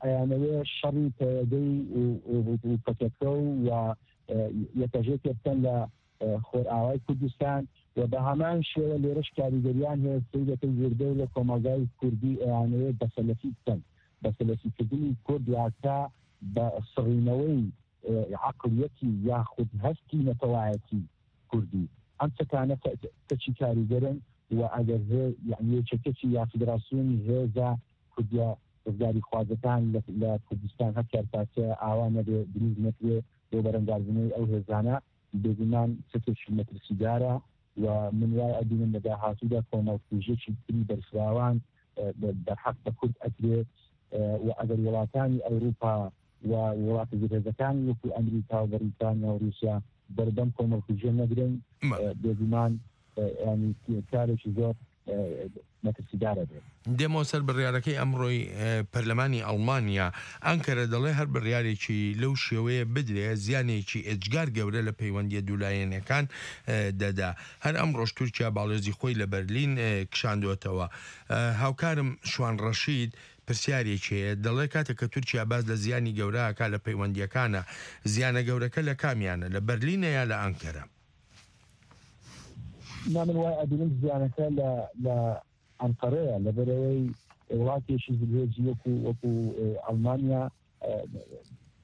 ئەیانەوێ شەڕی پەیەدەی و، و، و پەکەکە و، و، ئە، یەکەژێکێ بکەن لە، ئە، خۆرئاوای کوردستان و بە هەمان شێوە لێرەش کاریگەریان هەیە، سەی دەکەن زۆربەی لە کۆمەڵگای کوردی ئەیانەوێ بەسەلەفی بکەن، بەسەلەفیکردنی کورد واتە بە سڕینەوەی، ئە، عەقڵیەتی یاخود هەستی نەتەوایەتی کوردی. ئەم چەکانە کە-، کەچی کاریگەرن و ئەگەر هێ-، یعنی یەکێتی یا فیدراسیۆنی هێزە کوردیە ڕزگاری خوازەکان لە، لە کوردستان هەر چوار پارچە ئاوا نەبێ، دروست نەکرێ بۆ بەرەنگاربوونەوەی ئەو هێزانە، بێگومان چەکێکی مەترسیدارە و من وای ئەبینم لە داهاتوودا کۆمەڵکوژیەکی تری بەرفراوان، ئە، بە-، بەرحەق بە کورد ئەکرێ، ئە، و ئەگەر وڵاتانی ئەوروپا و وڵاتە زلهێزەکانی وەکو ئەمریکا و بەریتانیا و رووسیا بەردەم کۆمەڵکوژیە نەگرن، مە. ئە، بێگومان، ئە، یعنی کارێکی زۆر، ئە، مەترسیدارە بێت. دێمەوە سەر بڕیارەکەی ئەمڕۆی، ئە، پەرلەمانی ئەڵمانیا. ئەنکەرە دەڵێ هەر بڕیارێکی لەو شێوەیە بدرێ، زیانێکی ئێجگار گەورە لە پەیوەندیە دوولایەنەکان، ئە، دەدا. هەر ئەمڕۆش تورکیا باڵێزی خۆی لە بەرلین، ئە، کشاندوتەوە. ئە، هاوکارم شوان ڕەشید پرسیارێکی هەیە. دەڵێ کاتێک کە تورکیا باز لە زیانی گەورە ئەکا لە پەیوەندیەکانە، زیانە گەورەکە لە کامیانە، لە بەرلینە یا لە ئەنکەرە؟ نا، من وای ئەبینم زیانەکە لە، لە ئەنقەرەیە، لەبەرەوەی وڵاتێکی زلهێزی وەکو، وەکو، ئێ، ئەڵمانیا، ئێ،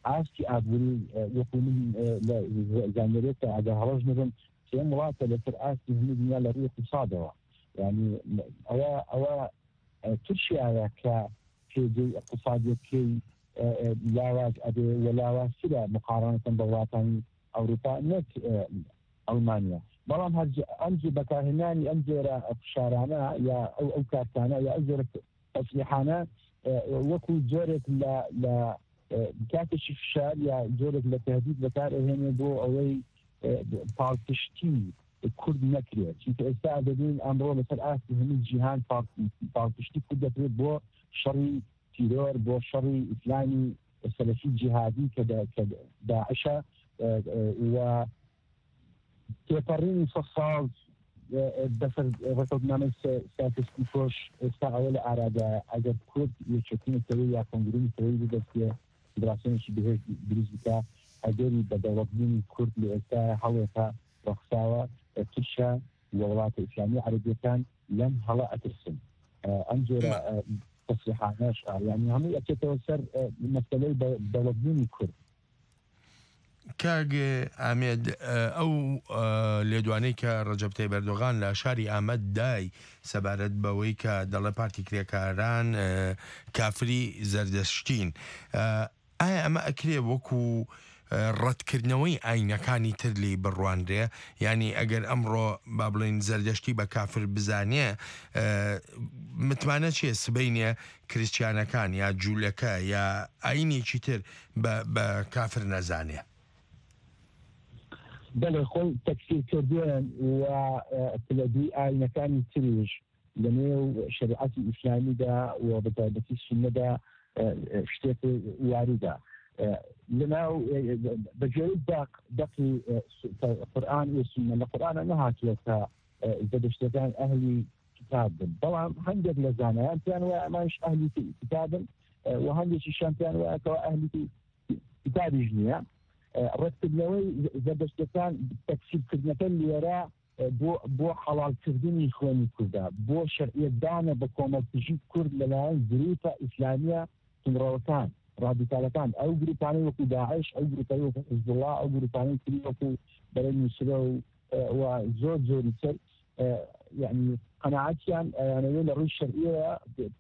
ئاستی ئابووری، ئێ، وەکو من، ئێ، لە ز-، زانیاریەکە ئەگەر هەڵەش نەبم، سێم وڵاتە لەسەر ئاستی هەموو دنیا لە ڕووی اقتصادەوە. یعنی، ئەوە، ئەوە، ئێ، تورکیایە کە پێگەی اقتصادیەکەی، ئێ، ئێ، لاواز ئەبێ و لاوازترە مقارنەتەن بە وڵاتانی ئەوروپا، نەک، ئێ، ئەڵمانیا. بەڵام هەر ئەم جۆ بەکارهێنانی ئەم جۆرە فشارانە یا ئەو، ئەو کارتانە یا ئەو جۆرە تەسلیحانە، ئێ، وەکو جۆرێک لە، لە، ئێ، کاتێکی فشار یا جۆرێک لە تەهدید بەکار ئەهێنێ بۆ ئەوەی، ئێ، پاڵپشتی کورد نەکرێت. چونکە ئێستا دەبین ئەمڕۆ لەسەر ئاستی هەموو جیهان پاڵ-، پاڵپشتی کورد دەکرێت بۆ شەڕی تیرۆر، بۆ شەڕی ئیسلامی سەلەفی جیهادی کە دە-، کە داعشە، ئێ، ئێ، و تێپەڕینی سەد ساڵ، ئێ، ئێ، بەسەر ڕێکەوتنامەی سە-، ساکس پیکۆش ئێستا ئەوە لە ئارادایە. ئەگەر کورد یەکێتی نەتەوەیی یا کۆنگرەی نەتەوەیی ببەستێ، فیدراسیۆنێکی بەهێز دروست بکا، ئەگەری بە دەوڵەتبوونی کورد لە ئێستایا هەڵێکە ڕەخساوە، ئێ، تورکیا و وڵاتە ئیسلامی عەرەبیەکان لەم هەڵە ئەترسن. ئێ، ئەم جۆرە، مە. ئێ، تەسریحانەش، ئا، یعنی هەموو ئەچێتەوە سەر، ئە، مەسەلەی دە-، دەوڵەتبوونی کورد. کاک ئامێد، ئە، ئەو، ئە، لێدوانەی کە ڕەجەب تەیب ئەردۆغان لە شاری ئامەد دای سەبارەت بەوەی کە دەڵێ پارتی کرێکاران، ئە، کافری زەردەشتین. ئە، ئایا ئەمە ئەکرێ وەکو، ئە، ڕەتکردنەوەی ئاینەکانی تر لێی بڕوانرێ؟ یعنی ئەگەر ئەمڕۆ با بڵێن زەردەشتی بە کافر بزانێ، ئە، متمانە چیە سبەینێ کریستیانەکان یا جوولەکە یا ئاینێکی تر بە، بە کافر نەزانێ؟ بەڵێ، خۆی تەکفیر کردووەن و، ئە، پلە دووی ئاینەکانی تریش لە نێو شەریعەتی ئیسلامیدا و بە تایبەتی سوننەدا، ئە، ئە، شتێک واریدە. ئە، لە ناو، ئە، بە جۆرە دەق، دەقی، ئە، سو-، قورئان و سوننە. لە قورئانە نەهاتووە کە، ئە، زەردەشتەکان ئەهلی کتاب بن. بەڵام هەندێک لە زانایان پێیان وایە ئەمانش ئەهلی کتابن، ئە، و هەندێکیشیان پێیان وایە کەوا ئەهلی کتابیش نییە. ئە، ڕەتکردنەوەی زەردەشتەکان، تەکفیرکردنەکە لێرە، ئە، بۆ، بۆ حەڵالکردنی خوێنی کوردە، بۆ شەرعیەتدانە بە کۆمەڵکوژی کورد لەلایەن گروپە ئیسلامیە تونڕەوەکان، ڕادیکالەکان، ئەو گروپانەی وەکو داعش، ئەو گروپانەی وەکو حزبوڵڵا، ئەو گروپانەی تری وەکو بەرەی نوسرە و، ئە، و زۆر زۆری تر، ئە، یعنی قەناعەتیان، ئەیانەوێ لە ڕووی شەرعیەوە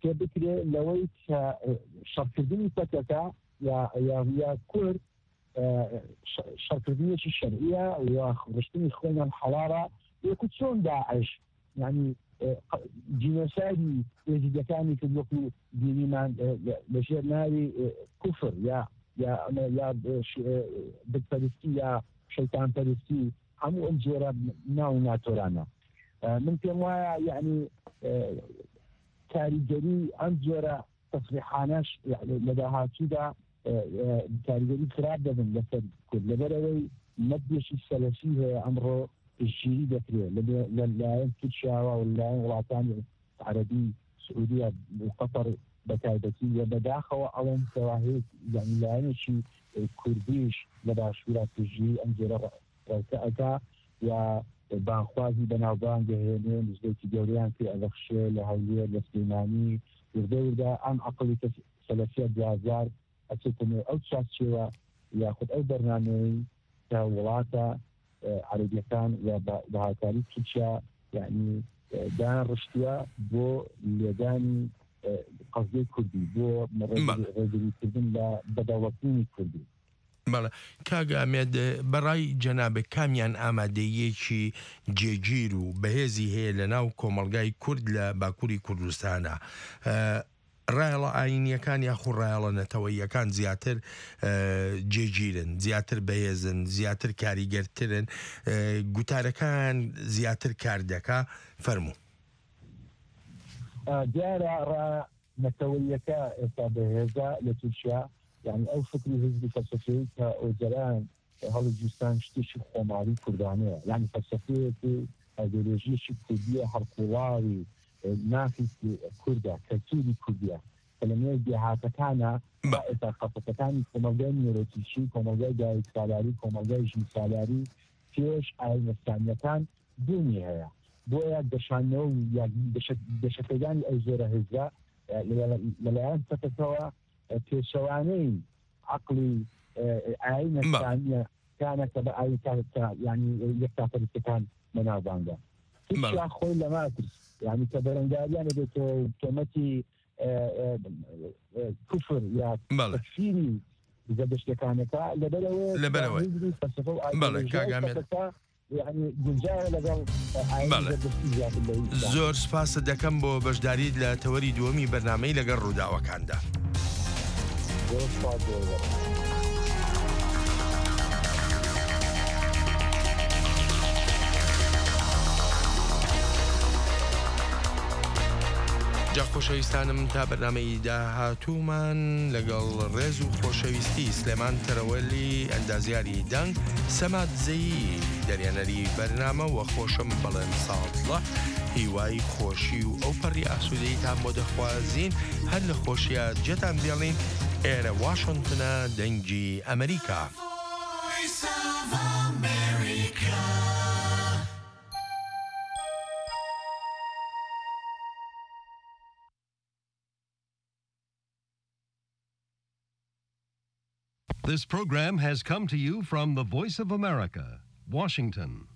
پێ بکرێ لەوەی کە، ئە، شەڕکردنی پەکەکە یا، یا، یا کورد، ئە، شە-، شەڕکردنێکی شەرعیە و ڕشتنی خوێنیان حەڵاڵە، وەکو چۆن داعش، یعنی، ئە، ق-، جینۆسایدی ئێزیدەکانی کرد وەکو دینیمان، ئە، لە، لە ژێر ناوی، ئە، کوفر یا، یا ئەمە، یا، ئە، ش-، ئە، بتپەرستی یا شەیتانپەرستی، هەموو ئەم جۆرە ناو ناتۆرانە. ئە، من پێم وایە، یعنی، ئە، کاریگەری ئەم جۆرە تەسریحانەش، یعنی، لە داهاتوودا، ئە، ئە، کاریگەری خراپ دەبن لەسەر کورد. لەبەرەوەی مەدێکی سەلەفی هەیە ئەمڕۆ پشتگیری دەکرێت لە، لە لایەن تورکیاوە و لە لایەن وڵاتانی عەرەبی، سعودیە و قەتەر بە تایبەتی، و بەداخەوە ئەڵێن کەوا هەیە، یعنی، لایەنێکی کوردیش لە باشوورا پشتگیری ئەم جۆرە ڕەوتە ئەکا و بانخوازی بەناوبانگ دەهێنێ، نزلێکی گەورەیان پێ ئەبەخشێ لە هەولێر، لە سلێمانی. وردە وردە ئەم عەقڵی کە سەلەفیە دوازار ئەچێتە نێو ئەو چاکچێوە یاخود ئەو بەرنامەیەی کە وڵاتە، ئە، عەرەبیەکان و بە، بە هاوکاری تورکیا، یعنی، ئە، دایان ڕشتووە بۆ لێدانی، ئە، قەزیەی کوردی، بۆ ڕێگری-، بەڵێ. ڕێگریکردن لە بەدەوڵەتبوونی کوردی. بەڵێ. کاک ئامێد، بەڕای جەنابێک کامیان ئامادەییەکی جێگیر و بەهێزی هەیە لە ناو کۆمەڵگای کورد لە باکووری کوردستانە؟ ئە، ڕایەڵە ئاینیەکان یاخو ڕایەڵە نەتەوەییەکان زیاتر، ئە، جێگیرن، زیاتر بەهێزن، زیاتر کاریگەرترن، ئە، گوتارەکان زیاتر کار دەکا. فەرموو. ئە، دیارە ڕا-، نەتەوەییەکە ئێستا بەهێزە لە تورکیا، یعنی ئەو فکر و حزب و فەلسەفەیە کە ئۆجەلان هەڵی گیرسان شتێکی خۆماڵی کوردانەیە، یعنی فەلسەفەیەکی ئایدۆلۆژیەکی کوردیە، هەڵقوڵاوی، ئە، مافی کوردە، کەلتوری کوردیە، کە لە نێو دێهاتەکانە، بە- ئێستا قەسەتەکانی کۆمەلگای نیۆلۆتیکی، کۆمەلگای دایک سالاری، کۆمەلگای ژن سالاری پێش ئاینەستانیەکان بوونی هەیە. بۆیە گەشانەوە و یا گەشە-، گەشەپێدانی ئەو زۆرە هێزە، ئە، لە، لەلایەن پەکەکەوە، ئە، پێچەوانەی عەقڵی، ئە، ئاینە بەڵێ. ئیسلامیەکانە کە بە ئاین تا، تا، یعنی یەکتاپەرستەکان بەناوبانگە. بەڵێ. تورکیا خۆی لە ماتریس، یعنی کە بەرەنگاریان دەبێتەوە و تۆمەتی، ئە، ئە، ئە، کوفر یا بەڵێ. تەکفیری زەردەشتەکانەکە لەبەرەوەی لەبەرەوەی. هیزبی فەلسەفە و بەڵێ، ئایدیۆلۆژیای کاک ئامێد. پەکەکە یعنی گونجاوە لەگەڵ ئاینی بەڵێ. زەردەشتی زیاتر لە ئیسلام. زۆر سپاست دەکەم بۆ بەشداریت لە تەوەری دووەمی بەرنامەی لەگەڵ ڕووداوەکاندا. زۆر سپاس بۆ ئێوە. جا خۆشەویستانم، تا بەرنامەی داهاتوومان، لەگەڵ ڕێز و خۆشەویستی، سلێمان تەرەوەلی، ئەندازیاری دەنگ، سەماد زەیی، دەریانەری بەرنامە، و خۆشم بەڵێن ساڵتڵە، هیوای خۆشی و ئەو پەڕی ئاسوودەیتان بۆ دەخوازین. هەر لە خۆشیە جێتان بێڵین. ئێرە واشنگتنە، دەنگی ئەمریکا. This program has come to you from the Voice of America, Washington.